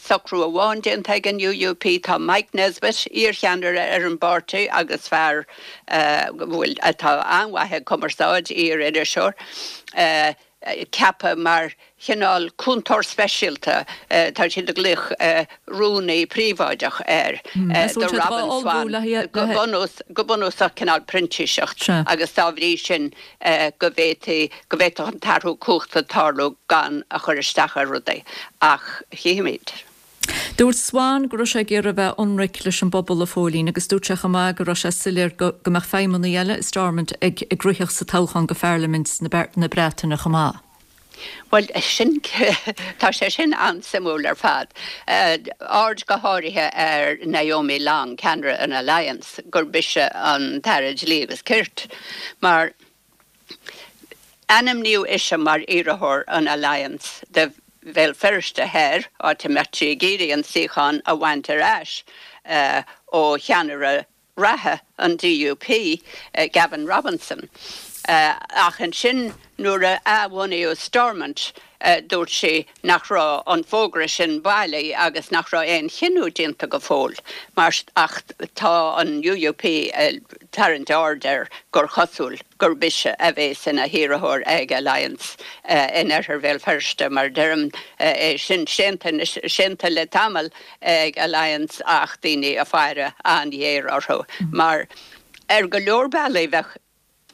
socrú amháin déanta ag an U U P, tá Mike Nesbitt, iarcheannaire ar an bpáirtí agus fear bhfuil atá an-mhaith ag cumarsáid, iar-iriseoir, ceaptha mar chineál cúntóir speisialta, tá siad ag glaoch rúnaí príobháideach air, do Robin Swann, go bunúsach cineál printíseacht agus dá bhrí sin go bhféadfaí, go bhféadfadh an t-athrú cumhachta tarlú gan a chur isteach ar rudaí. Ach chífimid. Dúirt Swann go raibh sé ag iarraidh a bheith ionraic leis an bpobal, a Phóilín, agus dúirt sé chomh maith go raibh sé soiléir go go mbeadh feidhmeannaigh eile i Stormont ag ag rith sa toghchán go Pharlaimint na Breataine chomh maith. Bhuel, sin, tá sé sin an-suimiúil ar fad. Aird go háirithe ar Naomi Long, ceannaire an Alliance, gurb ise an tAire Dlí agus Cirt, mar ainmníodh ise mar iarrthóir an Alliance do Bhéal Feirste Thoir, áit a mbeadh sí ag iarraidh an suíochán a bhaint ar ais ó cheannaire reatha an DUP, Gavin Robinson. Ach ansin nuair a athbhunaíodh Stormont, dúirt sí nach raibh an fógra sin bailí agus nach raibh aon chinneadh déanta go fóill. Mar ach tá an UUP ag tarraingt aird air gur chosúil gurb ise a bheas ina hiarrthóir ag Alliance in oirthear Bhéal Feirste. Mar deirim, é sin séanta le tamall ag Alliance ach daoine ag faire an-ghéar orthu mar ar go leor bealaí bheadh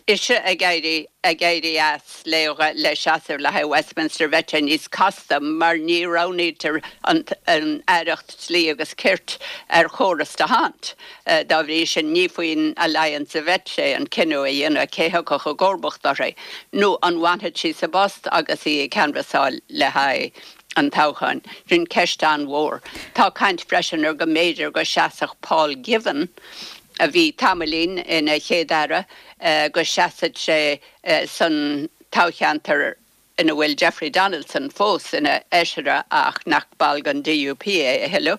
ise ag éirí ag éirí as le le seasamh le haghaidh Westminster bheadh sé níos casta mar ní roghnaítear an an aireacht dlí agus cirt ar chóras d'Hondt. Dá bhrí sin ní faoin Alliance a bheadh sé an cinneadh a dhéanamh cé thiocfadh i gcomharbacht uirthi nó an bhfanfadh sí sa bpost agus í ag canbhasáil le haghaidh an toghcháin. Sin ceist an-mhór. Tá caint freisin ar go mb'fhéidir go seasfadh Paul Givan, a bhí tamaillín ina Chéad-Aire, go seasfadh sé san toghcheantar ina bhfuil Jeffrey Donaldson fós ina fheisire ach nach ball den DUP é a thuilleadh,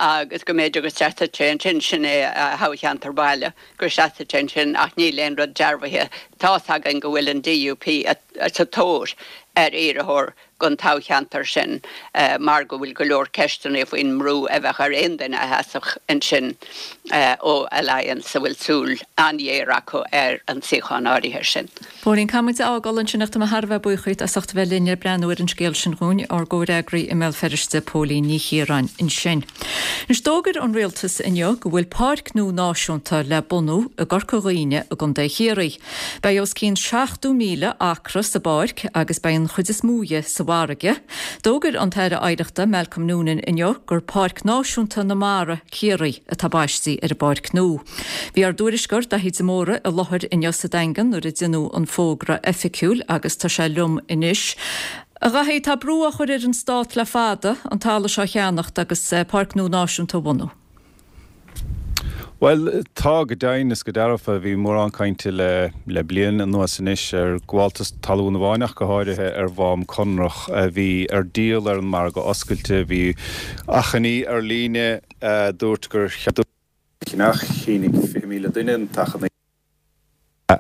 agus go mb'fhéidir go seasfadh sé ansin, sin é a thoghcheantar baile, go seasfadh sé ansin ach níl aon rud dearbhaithe. Tá's againn go bhfuil an DUP sa tóir ar iarrthóir don toghcheantar sin mar go bhfuil go leor ceisteanna faoin mbrú a bheadh ar aon duine a sheasfadh ansin ó Alliance a bhfuil súil an-ghéar acu ar an suíochán áirithe sin. Póilín, caithfidh muid a fhágáil ansin ach tá mé thar a bheith buíoch díot as ucht a bheith linn le breathnú ar an scéal sin dhúinn, ár gcomhfhreagraí i mBéal Feirste, Póilín Ní Chiaráin ansin. Anois d'fhógair an Rialtas inniu go bhfuil páirc nua náisiúnta le bunú i gCorca Dhuibhne i gContae Chiarraí. Beidh os cionn seachtó míle acra sa bpáirc agus beidh an chuid is mó dhe sa bhfarraige. D'fhógair an tAire Oidhreachta Malcolm Noonan inniu gur Páirc Náisiúnta na Mara, Ciarraí atá baistí ar an bpáirc nua. Bhí ár dtuairisceoir Daithí de Mórdha i láthair inniu sa Daingean nuair a deineadh an fógra oifigiúil agus tá sé liom anois. A Dhaithí, tá brú á chur ar an Stát le fada an talamh seo a cheannacht agus Páirc nua Náisiúnta a bhunú. Bhuel, tá, go deimhin is go dearfa. Bhí mórán cainte le le bliain anuas anois ar ghabháltas talún amháin ach go háirithe ar Mhám Conrach a bhí ar díol ar an margadh oscailte. Bhí achainí ar líne a dúirt gur cheannach, shínigh fiche míle duine an t-achainí.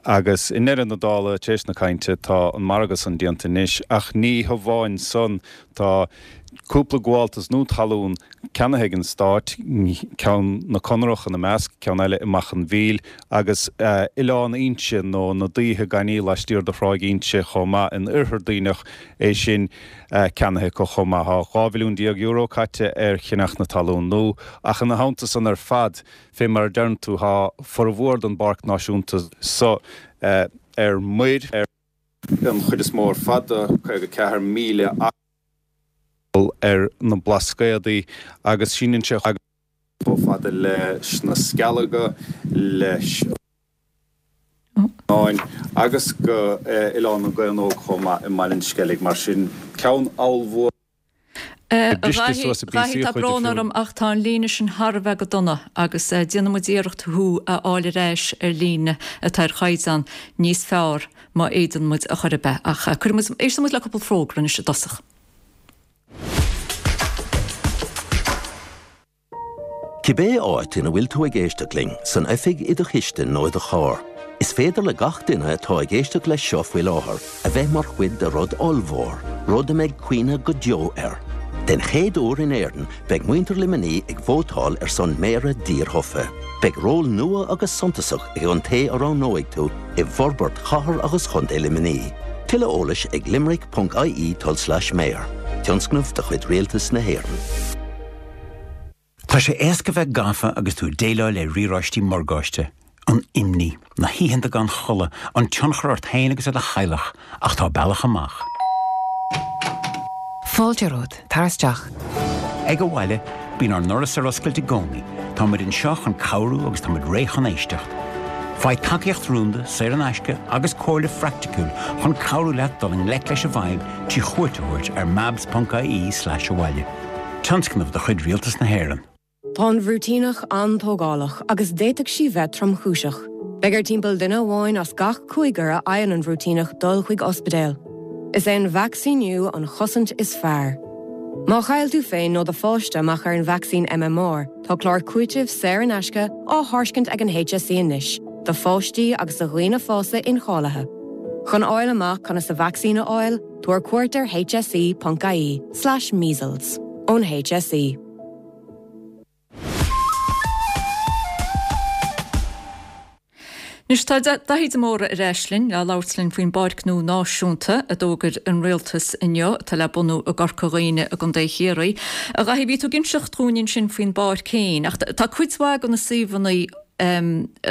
Agus i ndeireadh na dála, tar éis na cainte, tá an margadh san déanta anois. Ach ní hamháin san, tá cúpla gabháltas nua talún ceannaithe ag an Stát, ceann na Conrach ina measc, ceann eile i Machaire an Mhíl, agus Oileán Inse, nó na Daoithe gan í laistiar de Thráigh Inse chomh maith, in Oirthear Duibhneach, é sin ceannaithe acu chomh maith. Tá dhá mhilliún déag euro caite ar cheannach na talún nua, ach ina theannta san ar fad, Fé mar a deireann tú, tá formhór den bPáirc Náisiúnta so ar muir, an chuid is mó ar fad de, caoga ceathair míle acra ar na Blascaodaí, agus síneann sé chomh fada leis na Scealaga, leis an Fháinn agus go Oileán na gCaonóg chomh maith i mBaile an Sceilg. Mar sin, ceann ollmhór. A Dhaithí, tá brón orm ach tá an líne sin thar a bheith go dona agus déanfaidh muid iarracht thú a fháil ar ais ar líne atá ar chaighdeán níos fearr má fhéadann muid a chor ar bith. Ach cuirfidh muid, éistfidh muid le cúpla fógra anois i dtosach. Cibé áit ina bhfuil tú ag éisteacht linn, san oifig, i do chistin nó i do charr, is féidir le gach duine atá ag éisteacht leis seo faoi láthair a bheith mar chuid de rud ollmhór, rud a mbeidh cuimhne go deo air. Den chéad uair in Éirinn, beidh muintir Luimnigh ag vótáil ar son Méara dírthofa. Beidh ról nua agus suntasach ag an té a roghnóidh tú i bhforbairt chathair agus chontae Luimnigh. Tuilleadh eolais ag limerick ponc ie tulslais mayor. Tionscnamh de chuid Rialtas na hÉireann. Tá sé éasca bheith gafa agus tú ag déileáil le riaráistí morgáiste, an imní, na hoícheanta gan chodladh, an tionchar ort féin agus ar do theaghlach, ach tá bealach amach. Fáilte romhat, tar isteach. Ag Abhaile, bíonn ár ndoras ar oscailt i gcónaí, tá muid anseo chun cabhrú agus tá muid réidh chun éisteacht. Faigh tacaíocht rúnda, saor in aisce agus comhairle phraiticiúil chun cabhrú leat dul i ngleic leis an bhfadhb trí chuairt a thabhairt ar mabs.ie slash abhaile. Tionscnamh de chuid Rialtas na hÉireann. Tá an bhruitíneach an-tógálach agus d'fhéadfadh sí bheith tromchúiseach. Beidh ar timpeall duine amháin as gach cúigear a fhaigheann an bhruitíneach dul chuig ospidéal. Is é an vacsaíniú an chosaint is fearr. Má chaill tú féin nó do pháiste amach ar an vacsaín MMR, tá clár cúitimh saor in aisce á thairiscint ag an HSE anois, do pháistí agus do dhaoine fásta incháilithe. Chun fháil amach conas an vacsaín a fháil, tabhair cuairt ar hse.ie slash measles ón HSE. Anois tá Daithí de Mórdha ar ais linn le labhairt linn faoin bpáirc nua náisiúnta a d'fhógair an rialtas inniu atá le bunú i gCorca Dhuibhne i gContae Chiarraí. A Dhaithí, bhí tú ag inseacht dhúinn ansin faoin bpáirc féin ach tá cuid mhaith de na suíomhanna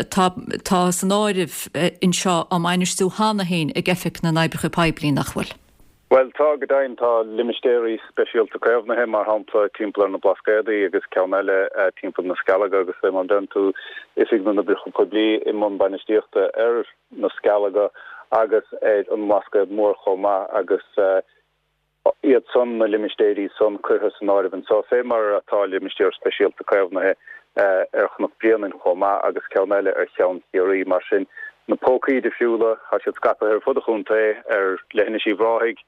atá atá san áireamh anseo á mbainistiú cheana féin ag Oifig na nOibreacha Poiblí, nach bhfuil? Bhuel, tá go deimhin. Tá limistéirí speisialta caomhnaithe, mar shampla, timpeall ar na Blascaodaí agus ceann eile timpeall na Scealaga agus fé mar a deireann tú, Oifig na nOibreacha Poiblí i mbun bainistíochta ar na Scealaga agus ar an mBlascaod Mór chomh maith agus iad san, na limistéirí san, curtha san áireamh anseo, fé mar atá limistéar speisialta caomhnaithe ar Chnoc Bréanainn chomh maith agus ceann eile ar Cheann Chiarraí. Mar sin, na pócaí difriúla, tá siad scaipthe ar fud an chontae, ar Leithinis Uíbh Ráthaigh,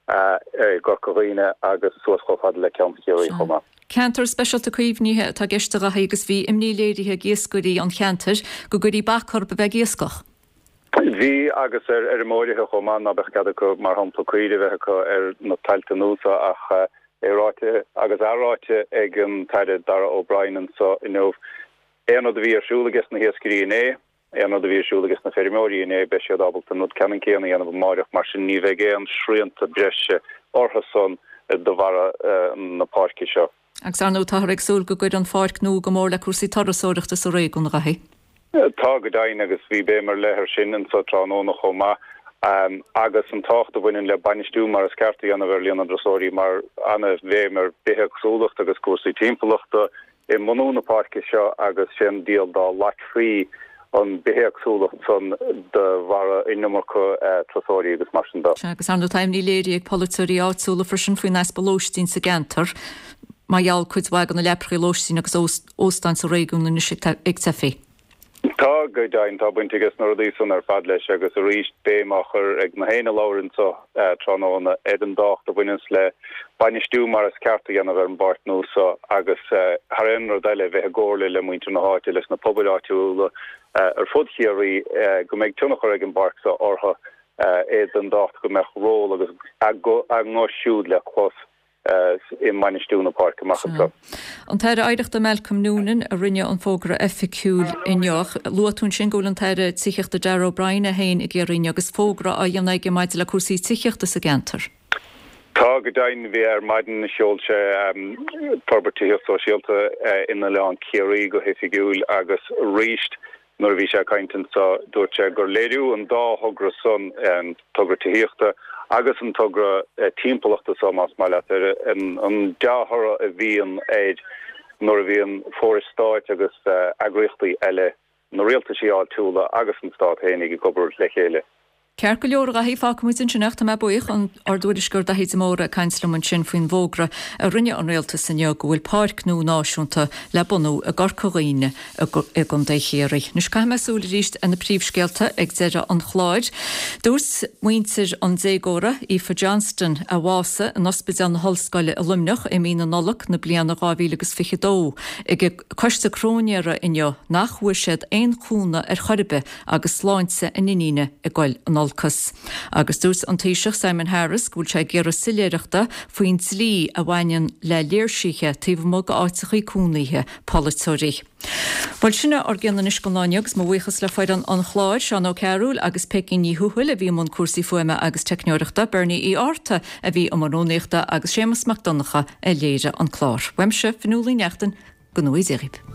i gCorca Dhuibhne agus suas chomh fada le Ceann Chiarraí chomh maith. Ceantar speisialta caomhnaithe atá i gceist a Dhaithí agus bhí imní léirithe ag iascairí an cheantair go gcuirfí bac orthu a bheith ag iascach. Bhí agus ar fheirmeoirithe chomh maith ná beadh cead acu mar shampla caoirigh a bheith acu ar na tailte nua seo ach é ráite agus athráite ag an tAire Darragh O'Brien anseo inniu aon rud a bhí ar siúl ages na hiascairí inné, Aon rud a bhí ar siúl ages na feirmeoirí inné, beidh siad ábalta an rud ceannann céanna a dhéanamh amáireach, mar sin ní bheidh aon srianta breise orthu san de bharra na páirce seo. Agus ar ndóigh táthar ag súil go gcuirfidh an pháirc nua go mór le cúrsaí turasóireachta sa réigiún, a Dhaithí. Tá, go deimhin, agus bhí béim ar leith air sin anso tráthnóna chomh maith, agus an tábhacht a bhaineann le bainistiú mar is ceart a dhéanamh ar líon na dturasóirí mar ana-bhéim ar bithéagsúlacht agus cúrsaí timpeallachta, i mbunú na páirce seo agus sé an diabhal dá loicfí an bithéagsúlacht san de bharra an iomarca turasóirí agus mar sin de. Sea, agus ar ndóigh tá imní léirithe ag polaiteoirí áitiúla freisin faoin easpa lóistín sa gceantar mar gheall cuid mhaith de na leaprachaí lóistín agus óstáin sa réigiún anois ag teifigh. Tá, go deimhin, tá baint ages na rudaí san ar fad leis agus arís béim á chur ag na héinne a labhair anso tráthnóna ar an dtábhacht a bhaineanns le bainistiú mar is ceart a dhéanamh ar an bpáirc nua so agus thar aon rud eile bheith i gcomhairle le muintir na háite, leis na pobail áitiúla ar fud Chiarraí go mbeidh tionchar ag an bpáirc so orthu, é den dtábhacht go mbeadh ról agus a nguth siúd le clos. i mbainistiú na páirce amach anseo. An tAire Oidhreachta Malcolm Noonan a rinne an fógra oifigiúil inniu. Luaigh tú ansin go bhfuil an tAire Tithíochta Darragh O'Brien é féin i gCiarraí inniu agus fógra á dhéanamh aige maidir le cúrsaí tithíochta sa gceantar. Tá, go deimhin. Bhí ar maidin sheol sé forbairt tithíocht sóisialta in Oileán Ciarraí go hoifigiúil agus arís Nuair a bhí sé ag caint anso, dúirt sé gur léiriú an dá thogra san, an togra tithíochta agus an togra timpeallachta so, más maith leat, ar an dea-thoradh a bhíonn air nuair a bhíonn forais stáit agus eagraíochtaí eile, na rialtaisí áitiúla agus an stát fhéinig ag obair le chéile. Ceart go leor, a Dhaithí, fágfaimid ansin é ach tá mé buíoch. Ár dtuairisceoir Daithí de Mórdha ag caint liom ansin faoin bhfógra a rinne an Rialtas inniu go bhfuil páirc nua náisiúnta le bunú i gCorca Dhuibhne i gContae Chiarraí. Anois caithfidh mé súil arís ar na príomhscéalta ag deireadh an chláir. Dúirt muintir an déagóra, Aoife Johnston, a bhásaigh in Ospidéal na hOllscoile i Luimneach i mí na Nollag na bliana dhá mhíle agus fiche dó ag an gcoiste cróinéara inniu nach bhfuair siad aon chúnamh ar chor ar bith agus sláinte a n-iníne ag goil in olcas. Agus dúirt an Taoiseach Simon Harris go bhfuil sé ag iarraidh soiléireachta faoin dlí a bhaineann le léirsithe taobh amuigh d'áiteachaí cónaithe polaiteoirí. Bhuel, sin é ár gcion anois don lá inniu agus mo bhuíochas le foireann an chláir, Seán Ó Cearúil agus Peigí Ní Thuathail a bhí i mbun cúrsaí fuaime agus teicneoireachta, Bernie Uí Fhátharta a bhí i mbun rúnaíochta agus Séamus Mac Donncha a léirigh an clár. Uaimse, Fionnuala Uí Neachtain, go ngnóthaí Dia dhaoibh.